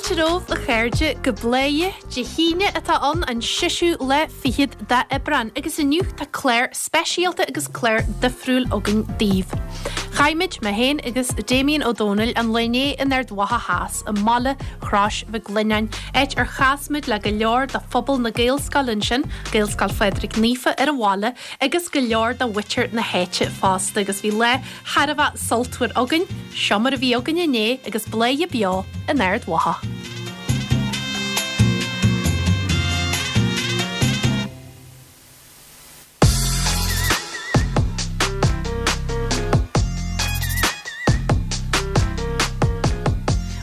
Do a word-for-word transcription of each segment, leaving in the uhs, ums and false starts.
Fáilte romhaibh a chairde go Bladhaire Dé hAoine atá ann an seisiú lá fichead d'Aibreán agus inniu tá clár speisialta agus clár difriúil againn daoibh. Chaith muid, mé féin agus Damien Ó Dónaill an lá inné in Ard Mhacha Theas i mbaile Chrois Mhic Lionnáin, áit ar chas muid le go leor de phobal na Gaelscoile ansin, Gaelscoil Phádraig Naofa ar an bhaile, agus go leor de mhuintir na háite fosta agus bhí lá thar a bheith sultmhar againn, seo mar a bhí againn inné agus Bladhaire beo in Ard Mhacha.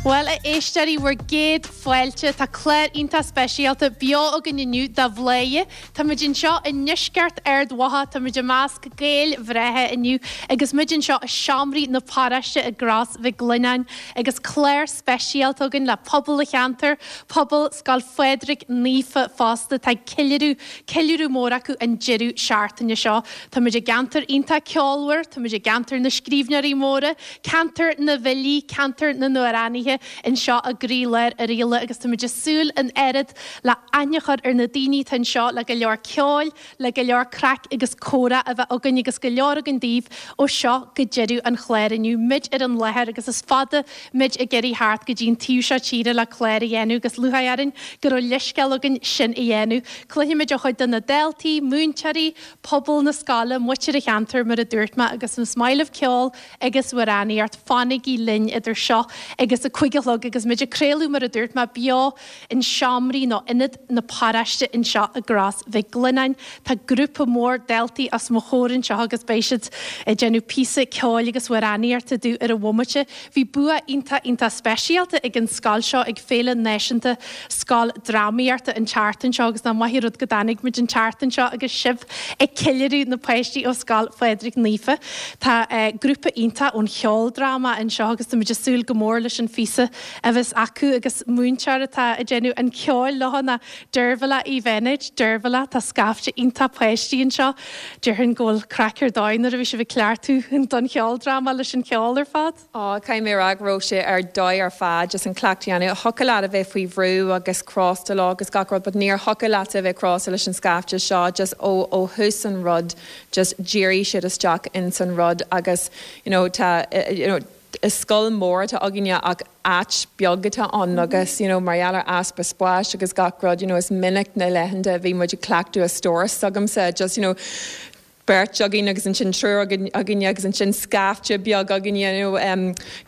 Bhuel, a éisteoirí, bhur gcéad fáilte. Tá clár iontach speisialta beo againn inniu de Bhladhaire. Táimid anseo i ndeisceart Ard Mhacha, táimid i measc Gaeil bhreátha inniu agus muid anseo i seomraí na paróiste i gCros Mhic Lionnáin agus clár speisialta againn le pobal an cheantair, pobal Scoil Phádraig Naofa fosta atá ag ceiliúradh, ceiliúradh mór acu an deireadh seachtaine seo. Táimid i gceantar iontach ceolmhar, táimid i gceantar na scríbhneoirí móra, ceantar na bhfilí, ceantar na n-amhránaithe anseo i gcroílár Oirialla agus táimid ag súil an oiread le aithne a chur ar na daoine atá anseo le go leor ceoil, le go leor craic agus comhrá a bheith againn agus go leor againn daoibh ó seo go deireadh an chláir inniu. Muid ar an láthair agus is fada muid ag iarraidh theacht go dtí an taobh seo tíre le clár a dhéanamh agus lúcháir orainn go raibh leithscéal againn sin a dhéanamh. Cluinfimid ó chuid de na daltaí, múinteoirí, pobal na scoile, muintir an cheantair mar a dúirt mé agus is maith libh ceol agus amhránaíocht, fanaigí linn idir seo agus a cúig a chlog agus muid ag craoladh mar a dúirt mé beo in seomraí nó ionad na paróiste anseo i gCros Mhic Lionnáin. Tá grúpa mór daltaí os mo chomhair anseo agus beidh siad ag déanamh píosa ceoil agus amhránaíochta dúinn ar an bhomaite. Bhí bua iontach iontach speisialta ag an scoil seo ag Féile Náisiúnta Scoildrámaíochta an tseachtain seo agus nach maith an rud go dtáinig muid an tseachtain seo agus sibh ag ceiliúradh na páistí ó Scoil Phádraig Naofa. Tá grúpa iontach ón cheoldráma anseo agus táimid ag súil go mór leis an phíosa a bheas acu agus múinteoir atá ag déanamh an cheoil leo ná Deirbhile Uí Bheinéid. Deirbhile, tá scaifte iontach páistí anseo. Déarfainn go bhfuil craic ar dóigh nuair a bhí sibh ag cleachtadh don cheoldráma leis an cheol ar fad. Á, caithfidh mé a rá go raibh sé ar dóigh ar fad just an cleachtadh a dhéanamh. Thiocfadh leat a bheith faoi bhrú agus crosta lá agus gach rud but níor thiocfadh leat a bheith crosta leis an scaifte seo just ó ó thús an rud just dhírigh siad isteach ins an rud agus you know tá you know is scoil mór atá againne ach áit beag atá ann agus you know mar gheall ar easpa spáis agus gach rud you know is minic na laethanta a bhí muid ag cleachtadh i stóras s'agamsa just you know beirt againn agus ansin triúr againne agus ansin scaifte beag againne you know um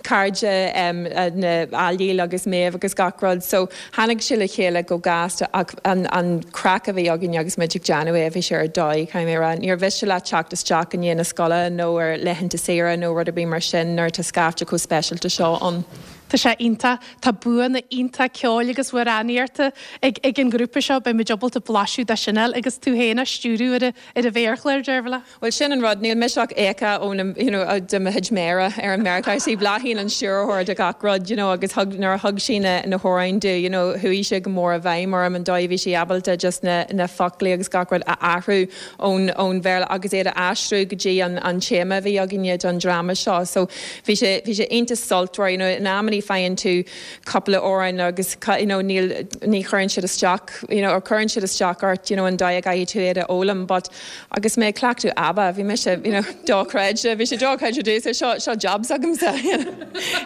cairde um na Ailill agus Méabh agus gach rud so tháinig sé le chéile go gasta ach an an craic a bhí againne agus muid ag déanamh é bhí sé ar dóigh caithfidh mé a rá. Níor mhiste leat teacht isteach i ndiaidh na scoile nó ar laethanta saoire nó rud ar bith mar sin nuair atá scaifte chomh speisialta seo ann. Tá sé iontach. Tá buanna iontach ceoil agus amhránaíochta ag ag an ghrúpa seo. Beidh muid ábalta blaiseadh de sin a fháil agus tú féin á stiúradh ar ar an mhéarchlár, Deirbhile. Bhuel sin an rud, níl mise ach íoctha ó na you know de mo chuid méara ar an méarchlár. Sí Bláithín an stiúrthóir de gach rud you know agus thug nuair a thug sí na na hamhráin domh you know chuaigh sé go mór i bhfeidhm orm an dóigh a bhí sí ábalta just na na foclaí agus gach rud a athrú ón ón Bhéarla agus iad a aistriú go dtí an an téama a bhí againne don dráma seo. So bhí sé bhí sé iontach sultmhar you know in amannaí faigheann tú cúpla amhrán agus you know níl ní chuireann siad isteach you know or cuireann siad isteach ort you know an dóigh a gcaithfidh tú iad a fhoghlaim but agus mé ag cleachtadh ABBA bhí mise you know dochreidte bhí sé dochreidte domhsa seo seo job s'agamsa you know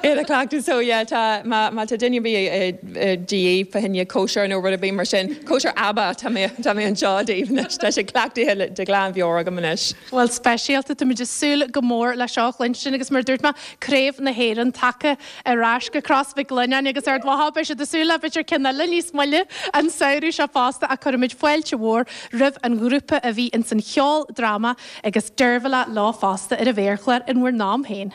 iad a chleachtadh so yeah tá má má tá duine ar bith de dhíth fá choinne cóisir nó rud ar bith mar sin cóisir ABBA tá mé tá mé anseo daoibh anois tá sé cleachtaithe de ghlanmheabhair agam anois. Bhuel speisialta táimid ag súil go mór le seo a chluinstin agus mar a dúirt mé Craobh na hÉireann tagtha ar ais go Cros Mhic Lionnáin agus Ard Mhacha beidh siad ag súil le b'fhéidir ceann eile níos moille an samhradh seo fosta ach cuirfimid fáilte mhór roimh an ghrúpa a bhí ins an cheoldráma agus Deirbhile leo fosta ar an mhéarchlár in bhur n-am féin.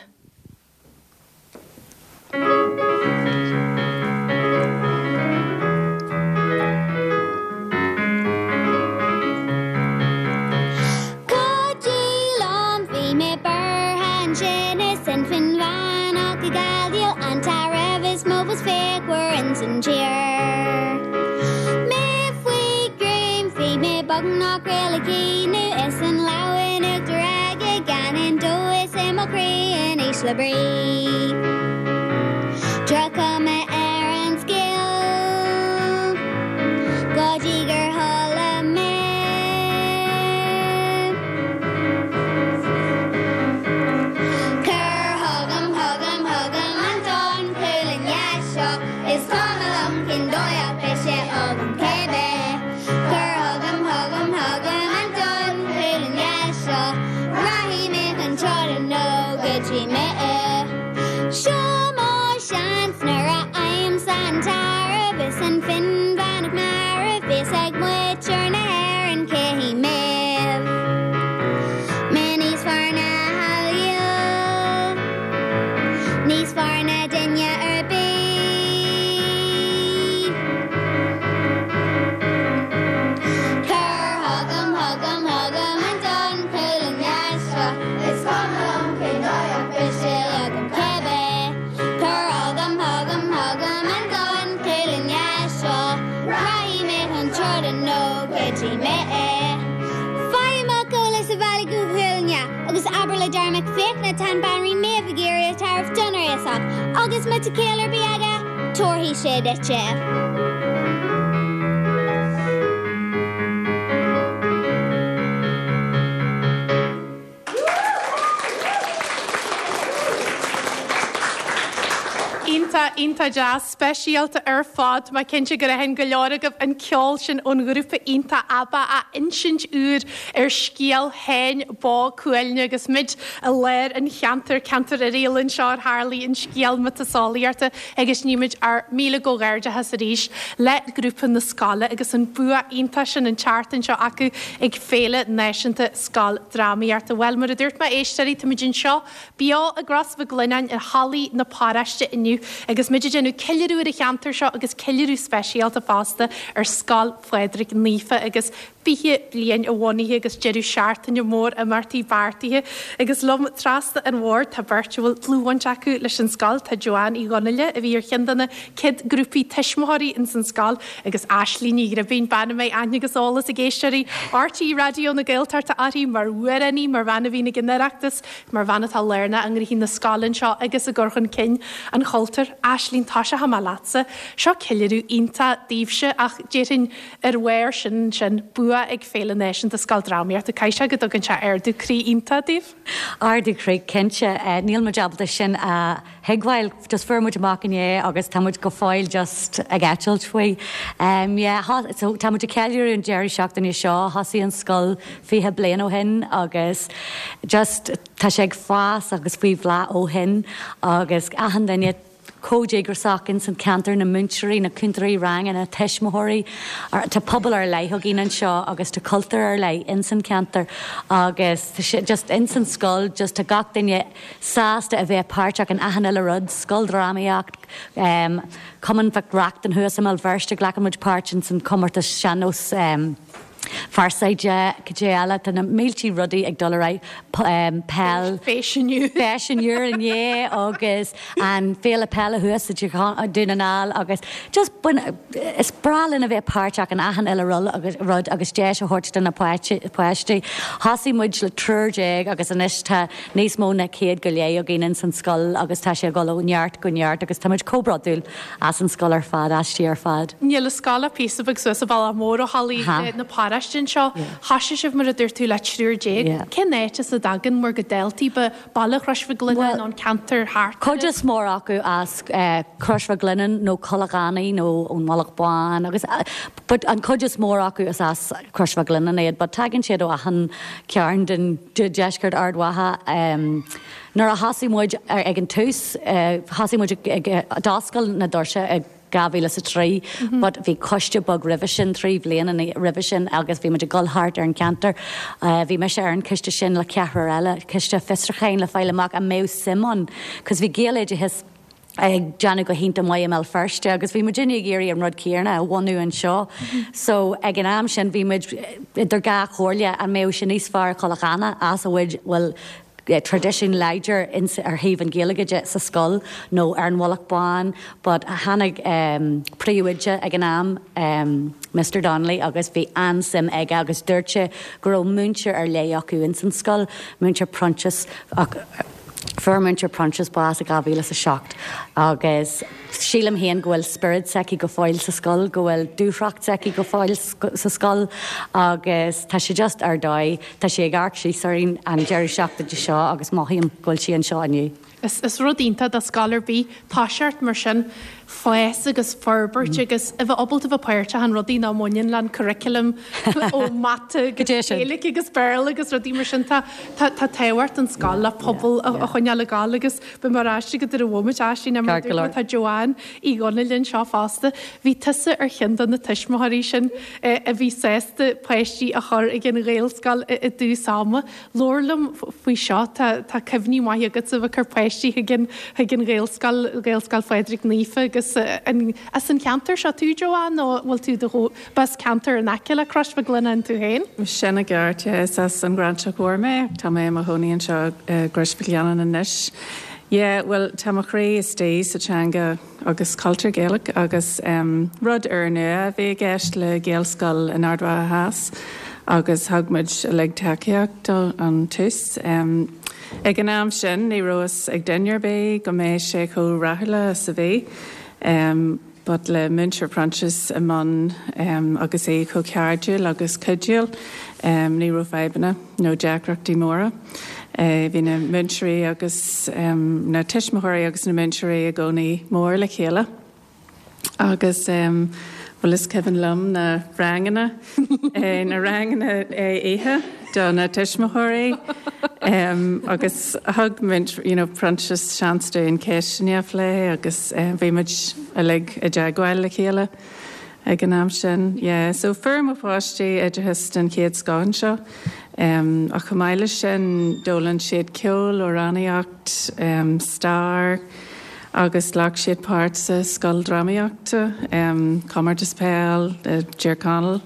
Go dtí lán bhí mé buartha ansin is inmheánach ag gabháil an tairbhe is mó is fíochmhar ins an tír. Mé faoi ghreim bhí mé beagnach réidh le caoineadh is an lámh in uachtar aige gan aon dóigh is i mo chroí in ísle brí. Droch-chuma ar an scéal go dtí mé. Seo mo sheans nuair a fhaighimse an tarbh is an Fionnbheannach marbh fios ag muintir na hÉireann cé hí Méabh. Mé níos fearr ná Hallyu, níos fearr ná duine ar bith. Cuir chugam chugam chugam an donn cuailnge seo Is cuma liom cén dóigh ach beidh sé agam cibé. Cuir chugam chugam chugam an donn cuailnge seo Rachaidh mé chun troda nó go dtí mé é. Faigh amach eolas ar Bhealach Ua Cuailgne agus abair le Darach Mac Fiachna tá an Bhanríon Méabh ag iarraidh a tarbh donn a fhiosach agus má tá ciall ar bith aige, tabharfaidh sé duit é. Iontach, iontach deas, speisialta ar fad. Tá mé cinnte gur aithin go leor agaibh an ceol sin ón ghrúpa iontach ABBA a insint úr ar scéal Tháin Bó Cuailgne agus muid i lár an cheantair, ceantar Oiriall anseo ar tharlaigh an scéal miotaseolaíochta agus nímid ár míle comhghairdeachas arís le grúpa na scoile agus an bua iontach sin an tseachtain seo acu ag Féile Náisiúnta Scoildrámaíochta. Bhuel, mar a dúirt mé éisteoirí, táimid anseo beo i gCros Mhic Lionnáin ar hallaí na paróiste inniu agus muid ag déanamh ceiliúradh ar an cheantar seo agus ceiliúradh speisialta fosta ar Scoil Phádraig Naofa agus fiche bliain a bhunaithe agus deireadh seachtaine mór imeachtaí beartaithe agus liom trasna an bhoird tá beirt a bhfuil dlúthbhaint acu leis an scoil tá Joanne Uí Dhonnaile a bhí ar cheann de na chéad grúpaí tuismitheoirí ins an scoil agus Aislinn Ní Ghribín bean a mbeidh aithne agus eolas ag éisteoirí RTÉ Raidió na Gaeltachta uirthi mar amhránaí mar bhean a bhíonn ag an Oireachtas mar bhean atá lárnach i ngnóthaí na scoile anseo agus i gcur chun cinn an chultúir. Aislinn tá sé maith leatsa. Seo ceiliúradh iontach daoibhse ach déarfainn ar bharr sin sin bua ag Féile Náisiúnta Scoildrámaíochta Caithfidh sé go dtugann sé ardú croí iontach daoibh. Ardú croí cinnte níl muid ábalta sin a thuigbheáil just fuair muid amach inné agus tá muid go fóill just ag eitilt faoi. Um, yeah, so, tá muid ag ceiliúradh an deireadh seachtaine seo, thosaigh an scoil fiche bliain ó shin agus just tá sé ag fás agus faoi bhláth ó shin agus achan duine chomh díograiseach in san ceantar na múinteoirí na cúntóirí ranga na tuismitheoirí Tá pobal ar leith againn anseo agus tá cultúr ar leith in san ceantar agus just in san scoil just tá gach duine sásta a bheith páirteach in achan uile rud, scoildrámaíocht, um, Cumann Mhic Reachtain thuas i mBéal Feirste glacann muid páirt in san comórtas sean-nós um, Fearsaide cad é eile tá na mílte rudaí ag dul ar um, peil Fé Fé inné agus an féile peile thuas Dún na nGall agus just bun, is breá linn a bheith páirteach in achan uile agus rud agus deis a thabhairt do na páistí. Thosaigh muid le triúr déag agus anois tá níos mó ná céad go leith againn in san scoil agus tá sé ag dul ó neart go neart agus tá muid chomh bródúil as an scoil ar fad aisti ar fad. Níl a scoil píosa beag suas an bealach mór ó hallaí na paróiste seo Thosaigh sibh mar a dúirt tú le triúr déag. Cén áit as a dtagann bhur gcuid daltaí ba baile Chrois Mhic Lionnáin an ceantar thart. Cuid is mór acu as uh, Crois Mhic Lionnáin nó Tulach Annaidh nó ón Mhullach Bán agus uh, but an cuid is mór acu is as Crois Mhic Lionnáin iad, but tagann siad ó achan cearn den de deisceart Ard Mhacha um, Nuair a thosaigh muid ag an tús uh, thosaigh muid ag d'oscail na doirse ag dhá mhíle is a trí, but bhí coiste beag roimhe sin trí bliana roimhe sin agus bhí muid ag dul thart ar an ceantar. Uh, bhí mise ar an coiste sin le ceathrar eile, coiste fiosrúcháin le fáil amach an mbeadh suim ann, cos bhí Gaeloideachas ag déanamh go hiontach maith i mBéal Feirste agus bhí muid ag iarraidh an rud céanna a bhunú anseo. So ag an am sin bhí muid idir dhá chomhairle an mbeadh sin níos fearr Tulach Annaidh as a bhfuil bhfuil traidisiún láidir ar thaobh an Ghaeilge de sa scoil nó ar an Mhullach Bán, but tháinig um, príomhoide ag an am um, Mr Donnelly agus bhí an-suim aige agus dúirt sé go raibh múinteoir ar leith acu in san scoil, múinteoir Proinsias ach fuair múinteoir Proinsias bás i dhá mhíle a seacht agus sílim féin go bhfuil spiorad s'aici go fóill sa scoil, go bhfuil dúthracht s'aici go fóill sa scoil agus tá sé just ar dóigh, Tá sé ag amharc síos orainn an deireadh seachtaine seo agus mothaím go bhfuil sí anseo inniu. Is, is rud iontach do scoil ar bith toiseacht mar sin fás agus forbairt agus a bheith ábalta bheith páirteach in rudaí nach mbaineann le curriculum ó mata Gaeilge agus Béarla agus rudaí mar sin tá tá tábhacht an scoil le pobal a choinneáil coinneáil ag gabháil agus beidh mé ar ais agat ar an bhomaite Aisling mar Ceart go leor. tá Joanne Uí Dhonaill anseo fosta. Bhí tusa ar cheann de na tuismitheoirí sin eh, a bhí sásta páistí a chur ag an Ghaelscoil i i dtús ama. Labhair liom faoi seo tá tá cuimhní maithe agat a bheith ag cur páistí chuig an chuig an Ghaelscoil Gaelscoil Phádraig Naofa agus eh, an, as an ceantar seo tú Joanne nó bhfuil tú do bas ceantar in aice le Crois Mhic Lionnáin tú féin? Sin i gceart is as an Ghráinseach Mhór mé, tá mé i mo chónaí anseo i gCrois Mhic Lionnáin anois. Yeah, well tá mo chroí istigh sa teanga agus cultúr Gaelach agus um, rud úrnua a bhí i gceist le Gaelscoil in Ard Mhacha Theas agus thug muid uilig tacaíocht an tús. Um, ag an am sin ní raibh a fhios ag duine ar bith go mbeadh sé chomh rathúil is a bhí. Um, but le Múinteoir Proinsias i mbun um, agus é chomh cairdiúil agus cuidiúil um, ní raibh fadhbanna nó deacrachtaí móra. Uh, bhí na múinteoirí agus um, na tuismitheoirí agus na múinteoirí i gcónaí mór le chéile. Agus um, well is cuimhin liom na ranganna eh, na ranganna oíche do na tuismitheoirí um, agus thug you know, Proinsias seans dúinn ceisteanna a phlé agus um, bhí muid uilig i dteagmháil le chéile ag an am sin. Yeah, so fuair mo pháistí oideachas den chéad scoth anseo. Um, ach chomh maith leis sin d'fhoghlaim siad ceol amhránaíocht, um, stair, agus ghlac siad páirt sa scoil drámaíochta, um, comórtas peile, uh, Tír Chonaill,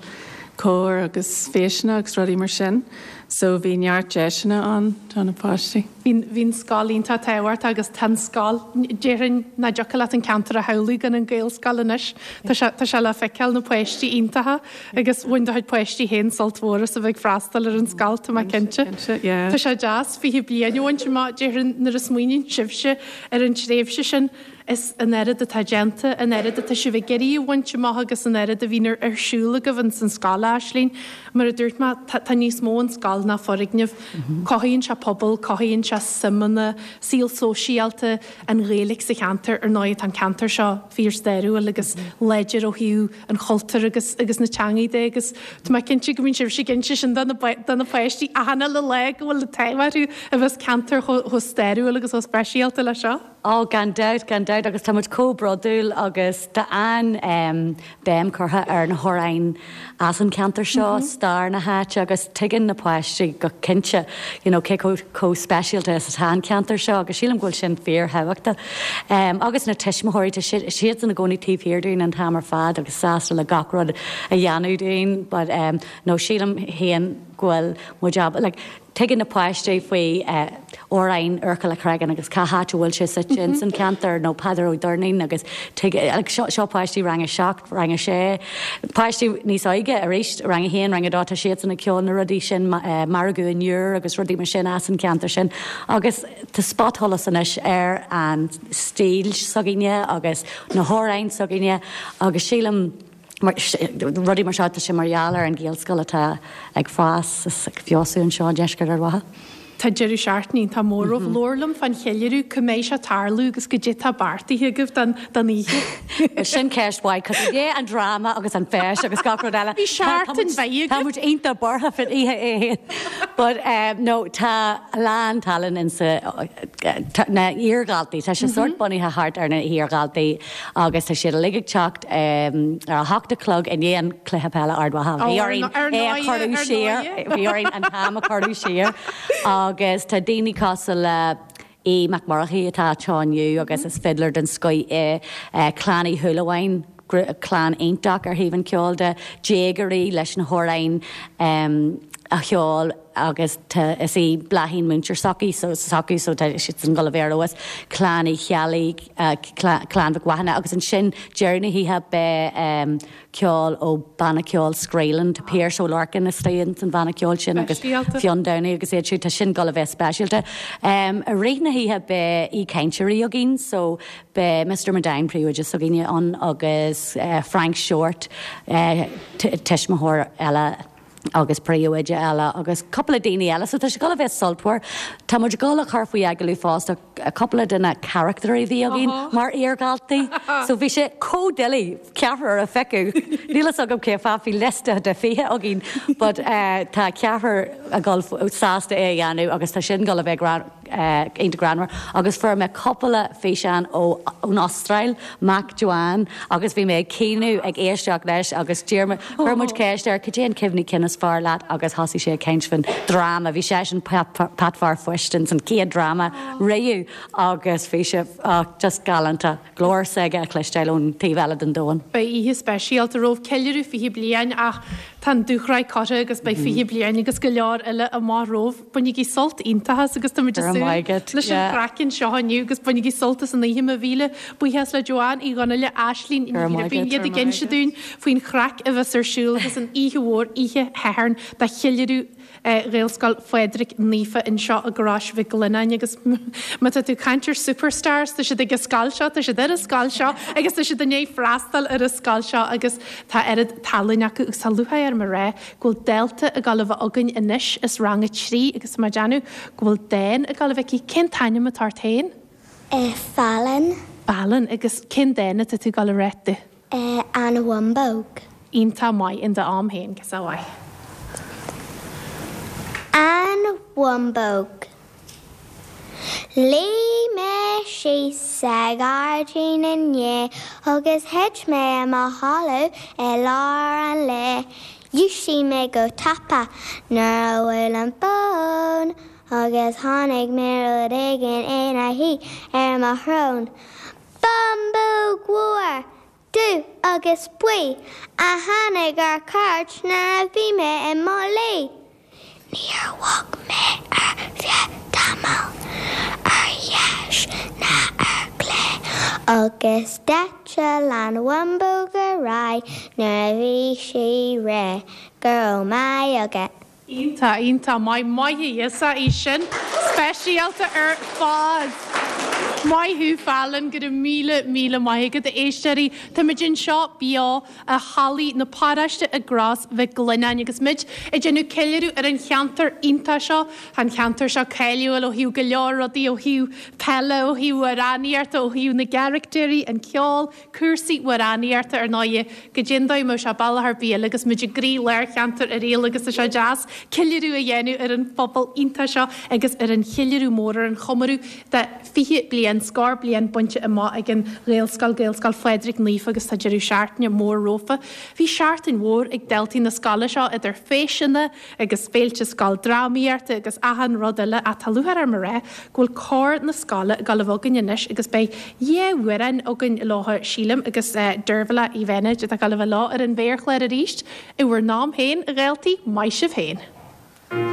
cór agus feiseanna agus rudaí mar sin. So bhí neart deiseanna ann do na páistí. Bhí scoil iontach tábhachtach agus tá scoil déarfainn nach dtiocfadh leat an ceantar a shamhlú gan an Ghaelscoil anois Tá sé le feiceáil na páistí iontacha agus bhain do chuid páistí féin sult mhór as a bheith freastal ar an scoil tá mé cinnte. Tá sé deas fiche bliain ó má déarfainn nuair a smaoiníonn sibhse ar an tréimhse sin is an oiread atá déanta an oiread atá sibh ag iarraidh a bhaint amach agus an oiread a bhíonn ar siúl agaibh san scoil Aisling, mar a dúirt mé tá níos mó an scoil ná foirgneamh. Cothaíonn sé pobal, cothaíonn sé suimeanna, saol sóisialta an Ghaeilge sa cheantar ar ndóigh an ceantar seo fíorstairiúil agus láidir ó thaobh an chultúir agus agus na teanga de agus Tá mé cinnte go mbíonn sibh cinnte sin do na páistí ahanna le le go bhfuil taobharú a bheas ceantar chomh stairiúil agus chomh speisialta le seo. Ó gan dabht gan dabht agus tá muid chomh bródúil agus tá an um, béim curtha ar na hamhráin as an ceantar seo mm -hmm. stair na háite agus tuigeann na páistí go cinnte you know, cé chomh speisialta is atá an ceantar seo agus sílim go bhfuil sin fíorthábhachtach. Um, agus na tuismitheoirí siad ina gcónaí taobh thiar dúinn an t-am ar fad agus sásta le gach rud a dhéanamh dúinn, but um, no sílim féin go bhfuil muid ab like, tuigeann na páistí faoi uh, amhráin Oirchill a' Chreagáin agus cá háit a bhfuil sé suite in san ceantar nó Peadar Ó Doirnín agus seo páistí rang a seacht rang a sé. Páistí níos óige arís rang a haon rang a dó tá siad ag ceol na rudaí sin uh, margadh an Iúir agus rudaí mar sin as an ceantar sin. agus tá spotsholas anois ar an stíl s'againne agus na hamhráin s'againne agus sílim rudaí mar seo sé mar gheall ar an Ghaelscoil atá ag fás is ag feabhsú anseo i ndeisceart Ard Mhacha. Tá deireadh seachtaine tá móramh mm -hmm. Labhair liom fán cheiliúradh cá mbeidh sé tarlú agus goidé tá beartaithe agaibh don don oíche. Sin ceist mhaith cos é an dráma agus an feis agus gach rud eile. Bhí seachtain bheidh Tá muid iontach buartha faoin oíche é. But um, no tá a lán tallann in sa na hiardhaltaí Tá sé sort bunaithe thart ar na hiardhaltaí agus tá siad uilig ag teacht um, ar a hocht a chlog i ndiaidh an cluiche peile Ard Mhacha. Bhí orainn é a chur siar bhí orainn an t-am a chur siar agus tá daoine cosúil le é MacMurchaí atá teánniu agus is fiddler den scoth é Clann Uí Shúilleabháin clann iontach ar thaobh an ceol de déagóirí leis na hamhráin um, a cheol agus is í Bláithín múinteoir s'acu so s'acu so tá siad san go bhféarhas Clann Uí Cheallaigh Clann Mhic Mhathúna agus ansin deireadh na hoíche beidh um, ceol ó banna ceol Scraoland Pearse Ó Lorcan istigh san bhanna ceol sin agus Fionn Downey agus iad siúd tá sin go bheith speisialta. Um, i rith na hoíche beidh aoichainteoirí againn so beidh Mr. Mundine príomhoide s'againne ann agus uh, Frank Short uh, tuismitheoir eile agus príomhoide eile agus cúpla daoine eile, so tá sé go bheith sultmhar. Tá muid ag cur faoi agallamh fosta cúpla de na carachtair a bhí againn mar iardhaltaí, so bhí sé chomh doiligh ceathrar a phiocadh. Níl a fhios agam cé fáth bhí liosta de fiche againn, but uh, tá ceathrar ag dul sásta é a dhéanamh agus tá sin go bheith iontach greannmhar agus fuair mé cúpla físeán ó ón Astráil mac Joanne agus bhí mé ag caoineadh ag éisteacht leis agus chuir muid ceist air cad é an cuimhne cinn is fearr leat agus thosaigh sé ag caint faoin dráma bhí sé sin Pat Fear Phoist san chéad dráma riamh agus bhí sé just galánta glór s'aige a chloisteáil ón taobh eile den domhan. Beidh oíche speisialta romhaibh ceiliúradh fiche bliain ach tá an dúshraith curtha agus beidh fiche bliain agus go leor eile amach romhaibh. Bainigí sult iontach as agus táimid ag súil leis an chraic anseo inniu agus bainigí sult as an oíche mo mhíle buíochas le Joanne Uí Dhonnaile Aislinn Ní Ghiribín iad ag inse dúinn faoin chraic a bheas ar siúl agus an oíche mhór oíche Shathairn do cheiliúradh Ghaelscoil Phádraig Naofa anseo i gCrois Mhic Lionnáin agus má tá tú ag caint ar superstars tá siad ag an scoil seo, tá siad ar an scoil seo agus tá siad i ndiaidh freastal ar an scoil seo agus tá oiread tallann acu agus tá lúcháir orm a rá go bhfuil dalta ag dul a bheith againn anois as rang a trí agus tá mé ag déanamh go bhfuil dán ag dul a bheith aici. Cén t-ainm atá ort féin? Fallon. Fallon agus cén dán atá tú ag dul a rá dúinn? An Bhumbóg. Iontach maith in d'am féin, go mhaith. An Bhumbóg. Luigh mé síos sa ghairdín inné agus thit mé i mo chodladh i lár an lae. Dhúisigh mé go tapa nuair a bhuail an fón agus chonaic mé rud éigin ina shuí ar mo shrón. Bumbóg mhór, dubh agus buí a tháinig ar cuairt nuair a bhí mé i mo luí. Níor bhog mé ar feadh tamaill, ar dheis ná ar chlé, agus d'eitil an bhumbóg ar aghaidh nuair a bhí sí réidh. Go raibh maith agat. Iontach, iontach maith, maith a Íosa í sin. Speisialta ar fad. Maith thú Fallon, go raibh míle míle maith agat a éisteoirí. Táimid anseo beo i Halla na Paróiste i gCros Mhic Lionnáin agus muid ag déanamh ceiliúradh ar an cheantar iontach seo, an cheantar seo cáiliúil ó thaobh go leor rudaí ó thaobh peile, ó thaobh amhránaíochta, ó thaobh na gcarachtéirí, an ceol, cúrsaí amhránaíochta ar ndóigh goidé an dóigh a mbeadh sé bealach ar bith eile agus muid i gcroí-lár cheantar Oiriall agus tá sé deas ceiliúradh a dhéanamh ar an phobal iontach seo agus ar an cheiliúradh mór ar an chomóradh de fiche bliain, scór bliain bainte amach ag an Ghaelscoil, Gaelscoil Phádraig Naofa agus tá deireadh seachtaine mór rompu. Bhí seachtain mhór ag daltaí na scoile seo idir feiseanna agus féilte scoildrámaíochta agus achan rud eile ach tá lúcháir orm a rá go bhfuil cór na scoile ag dul a bheith againn anois agus beidh dhá amhrán againn leo sílim agus Dervla Uí Bheinéid atá ag dul a bheith leo ar an mhéarchlár arís i bhur n-am féin, a dhaltaí, maith sibh féin. An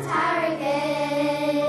t-airgead.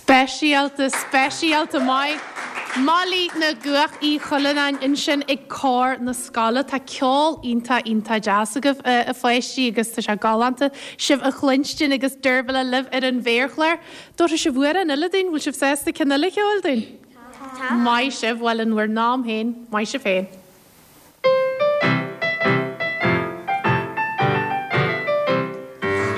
Speisialta, speisialta maith. Molly na gCuach Uí Chuilleanáin ansin ag cór na scoile. Tá ceol iontach iontach deas agaibh a pháistí agus tá sé galánta sibh a chluinstin agus Deirbhile libh ar an mhéarchlár. Tabharfaidh sibh amhrán eile dúinn, bhfuil sibh sásta ceann eile a cheol dúinn? Tá. Maith sibh, bhuel in bhur n-am féin, maith sibh féin.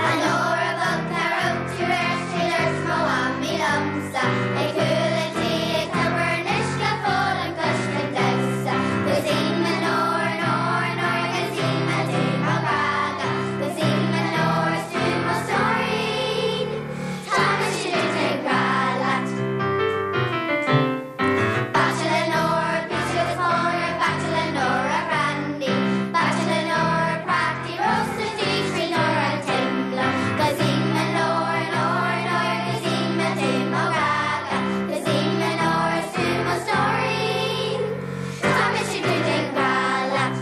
A Nóra bhog cá raibh tú ar sé dúirt mo mhamaí liomsa Ag cúl an tí ag tobar an uisce fólann coisce damhsa Gus í mo Nóra Nóra Nóra gus í mo tú mo ghrága Gus í mo Nóra is tú mo stóirín Tá mise duit ag rá leat Baicle le Nóra pizza agus pónar baicle le Nóra brandy Baicle le Nóra prátaí rósta trí Nóra timla Gus í mo Nóra Nóra Nóra gus í mo tú mo ghrága Gus í mo Nóra is tú mo stóirín Tá mise duit ag rá leat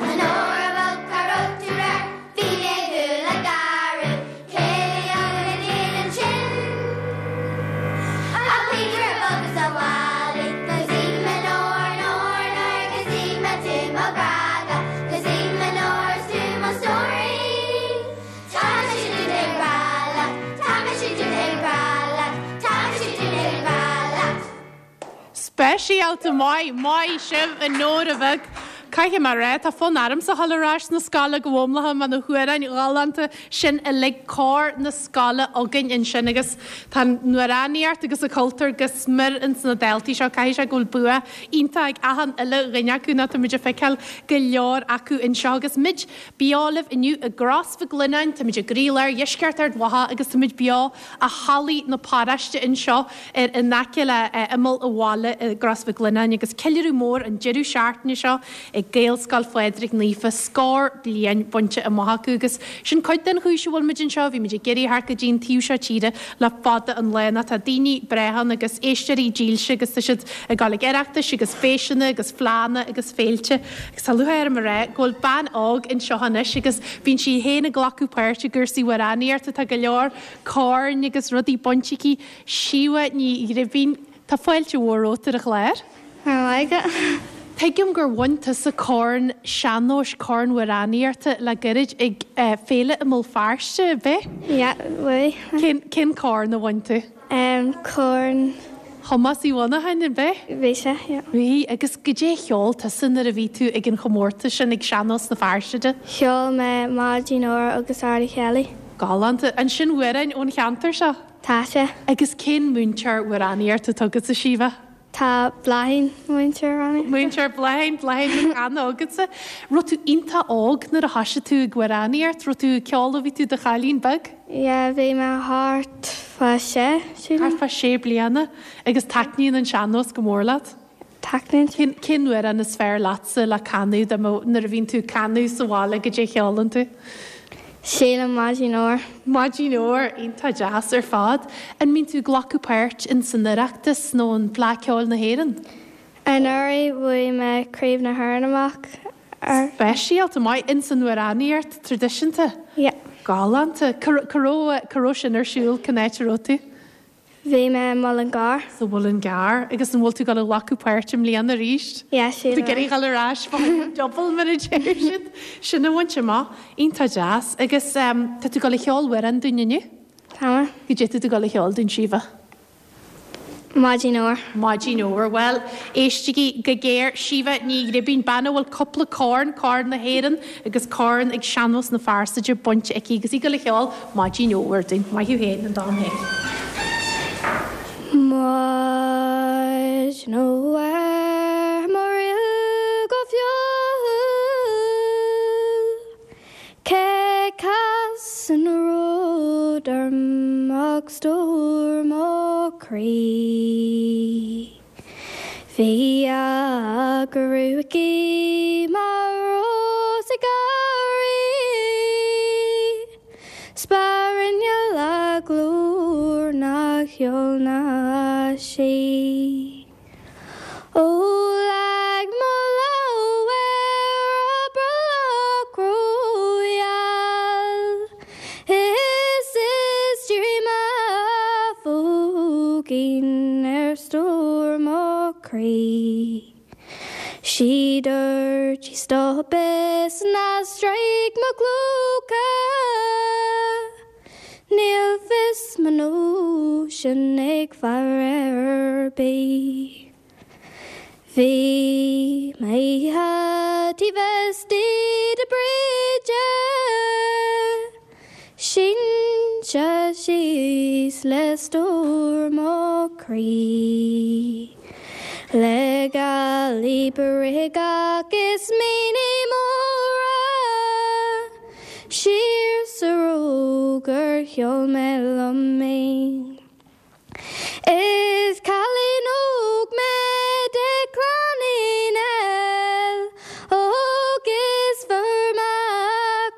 A Nóra bhog cá raibh tú aréir bhí mé ag gabháil a gearradh Céilí agus a díon ansin Ach Peter a bhog is a bhaile Gus í mo Nóra Nóra Nóra gus í mo tú mo ghrága Gus í mo Nóra is tú mo stóirín Tá mise duit ag rá leat Tá mise duit ag rá leat Tá mise duit ag rá leat Speisialta maith, maith sibh a Nóra bheag. Caithfidh mé rá tá fonn ormsa a dhul ar ais na scoile go bhomlacha man na hamhráin ghalánta sin uilig cór na scoile againn ansin agus tá amhránaíocht agus an cultúr go smior ins na daltaí seo caithfidh sé go bhfuil bua iontach ag achan uile dhuine acu ná tá muid ag feiceáil go leor acu anseo agus muid beo libh inniu i gCros Mhic Lionnáin, tá muid i gcroílár dheisceart Ard Mhacha agus tá muid beo i hallaí na paróiste anseo ar in aice le imeall an bhaile i gCros Mhic Lionnáin agus ceiliúradh mór an deireadh seachtaine seo ag Gaelscoil Phádraig Naofa scór bliain bainte amach acu agus sin cuid den chúis a bhfuil muid anseo, bhí muid ag iarraidh theacht go dtí an taobh seo tíre le fada an lá ná tá daoine breátha agus éisteoirí dílse agus tá siad ag dul ag oireachtais agus feiseanna agus fleánna agus féilte agus tá lúcháir orm a rá go bhfuil bean óg anseo anois agus bíonn sí féin ag glacadh páirt i gcúrsaí amhránaíochta tá go leor corn agus rudaí bainte aici Síomha Ní Ghribín Tá fáilte mhór romhat ar an chlár. Mar Tuigim gur bhain tusa corn sean-nóis corn amhránaíochta le gairid ag eh, féile i mBéal Feirste b'ea? Yeah, bhuaigh. Cén cén corn a bhain tú? Um, corn Thomas Uí Mhonacháin an b'ea? bhí sé, yeah. Bhí agus goidé a cheol tusa nuair a bhí tú ag an chomórtas sin ag sean-nós na Feirste de. Cheol mé Maidin Óir agus Ardy Kelly. Galánta ansin amhráin ón cheantar seo. Tá sé. Agus cén múinteoir amhránaíochta atá agatsa Síomha? Tá Bláithín múinteoir amhránaíochta. Múinteoir Bláithín Bláithín an agatsa. Raibh tú iontach óg nuair a thosaigh tú ag amhránaíocht, raibh tú ceol bhí tú do chailín beag? Yeah, bhí mé thart fá sé sílim. Thart fá sé bliana agus taitníonn an sean-nós go mór leat. Taitníonn. Cén cén amhrán is fearr leatsa le canadh dá mbeadh nuair a bhíonn tú canadh sa bhaile goidé a cheolann tú. Sílim Maidin Óir. Maidin Óir iontach deas ar fad, an mbíonn tú ag glacadh páirt in san Oireachtas nó an Fleadh Ceoil na hÉireann? Anuraidh bhuaigh mé Craobh na hÉireann amach ar. Speisialta maith in san amhránaíocht traidisiúnta. Yeah. Galánta cá raibh sin ar siúl cén áit a raibh tú? Bhí mé i Mullingar. Sa Mhuileann agus an bhfuil tú ag dul a ghlacadh páirt i mbliana arís? Yeah, Tú ag iarraidh dul ar ais double mar a deir siad sin a bhaint amach iontach deas agus um, tá tú ag dul a cheol amhrán dúinn inniu? Tá mé. Goidé tá tú ag dul a cheol dúinn Síomha. Maidin Óir. Maidin Óir well éistigí go géar Síomha Ní Ghribín bean a bhfuil cúpla corn corn na hÉireann agus corn ag sean-nós na Feirste bainte aici agus í ag dul a cheol Maidin Óir dúinn maith thú féin an dán féin. Maidin Óir mo go fiú Cé cas an ród orm agus stór mo chroí. Bhí a gruaigí mar rós ag éirí, 'S ba rinne le glór ná ceol ná sí. Ó leag mo lámh ar a brollach rógheal, Is is dream gcinn ar stór mo chroí. Sí dúirt sí stop is ná stróic mo clóca. Níl fios mo nóisean ag fear ar bith. Bhí mé taobh istigh de Bridget, Sínte síos le stór mo chroí. Le gailí b'rigeach is míní móra, Siar sa Róg gur sheol mé liom í. Is cailín óg mé de chlann Uí Néill, Agus fuair mé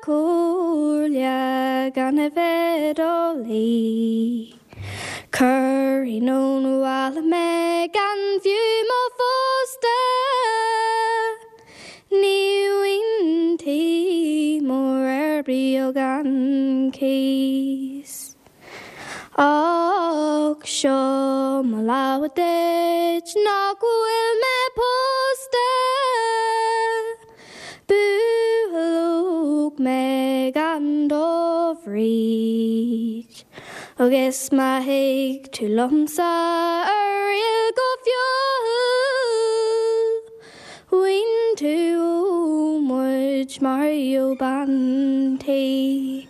comhairle gan a bheith do luí. Cuireadh anonn abhaile mé gan fiú mo phósta. Ní bhfuil tí mór ar bith gan cíos. Ach seo mo leaba duit nach bhfuil mé pósta. Bualadh óg mé gan do Bhríd. Agus má thig tú liomsa a thriall go fial. Bhain tú muid mar ó bean tí.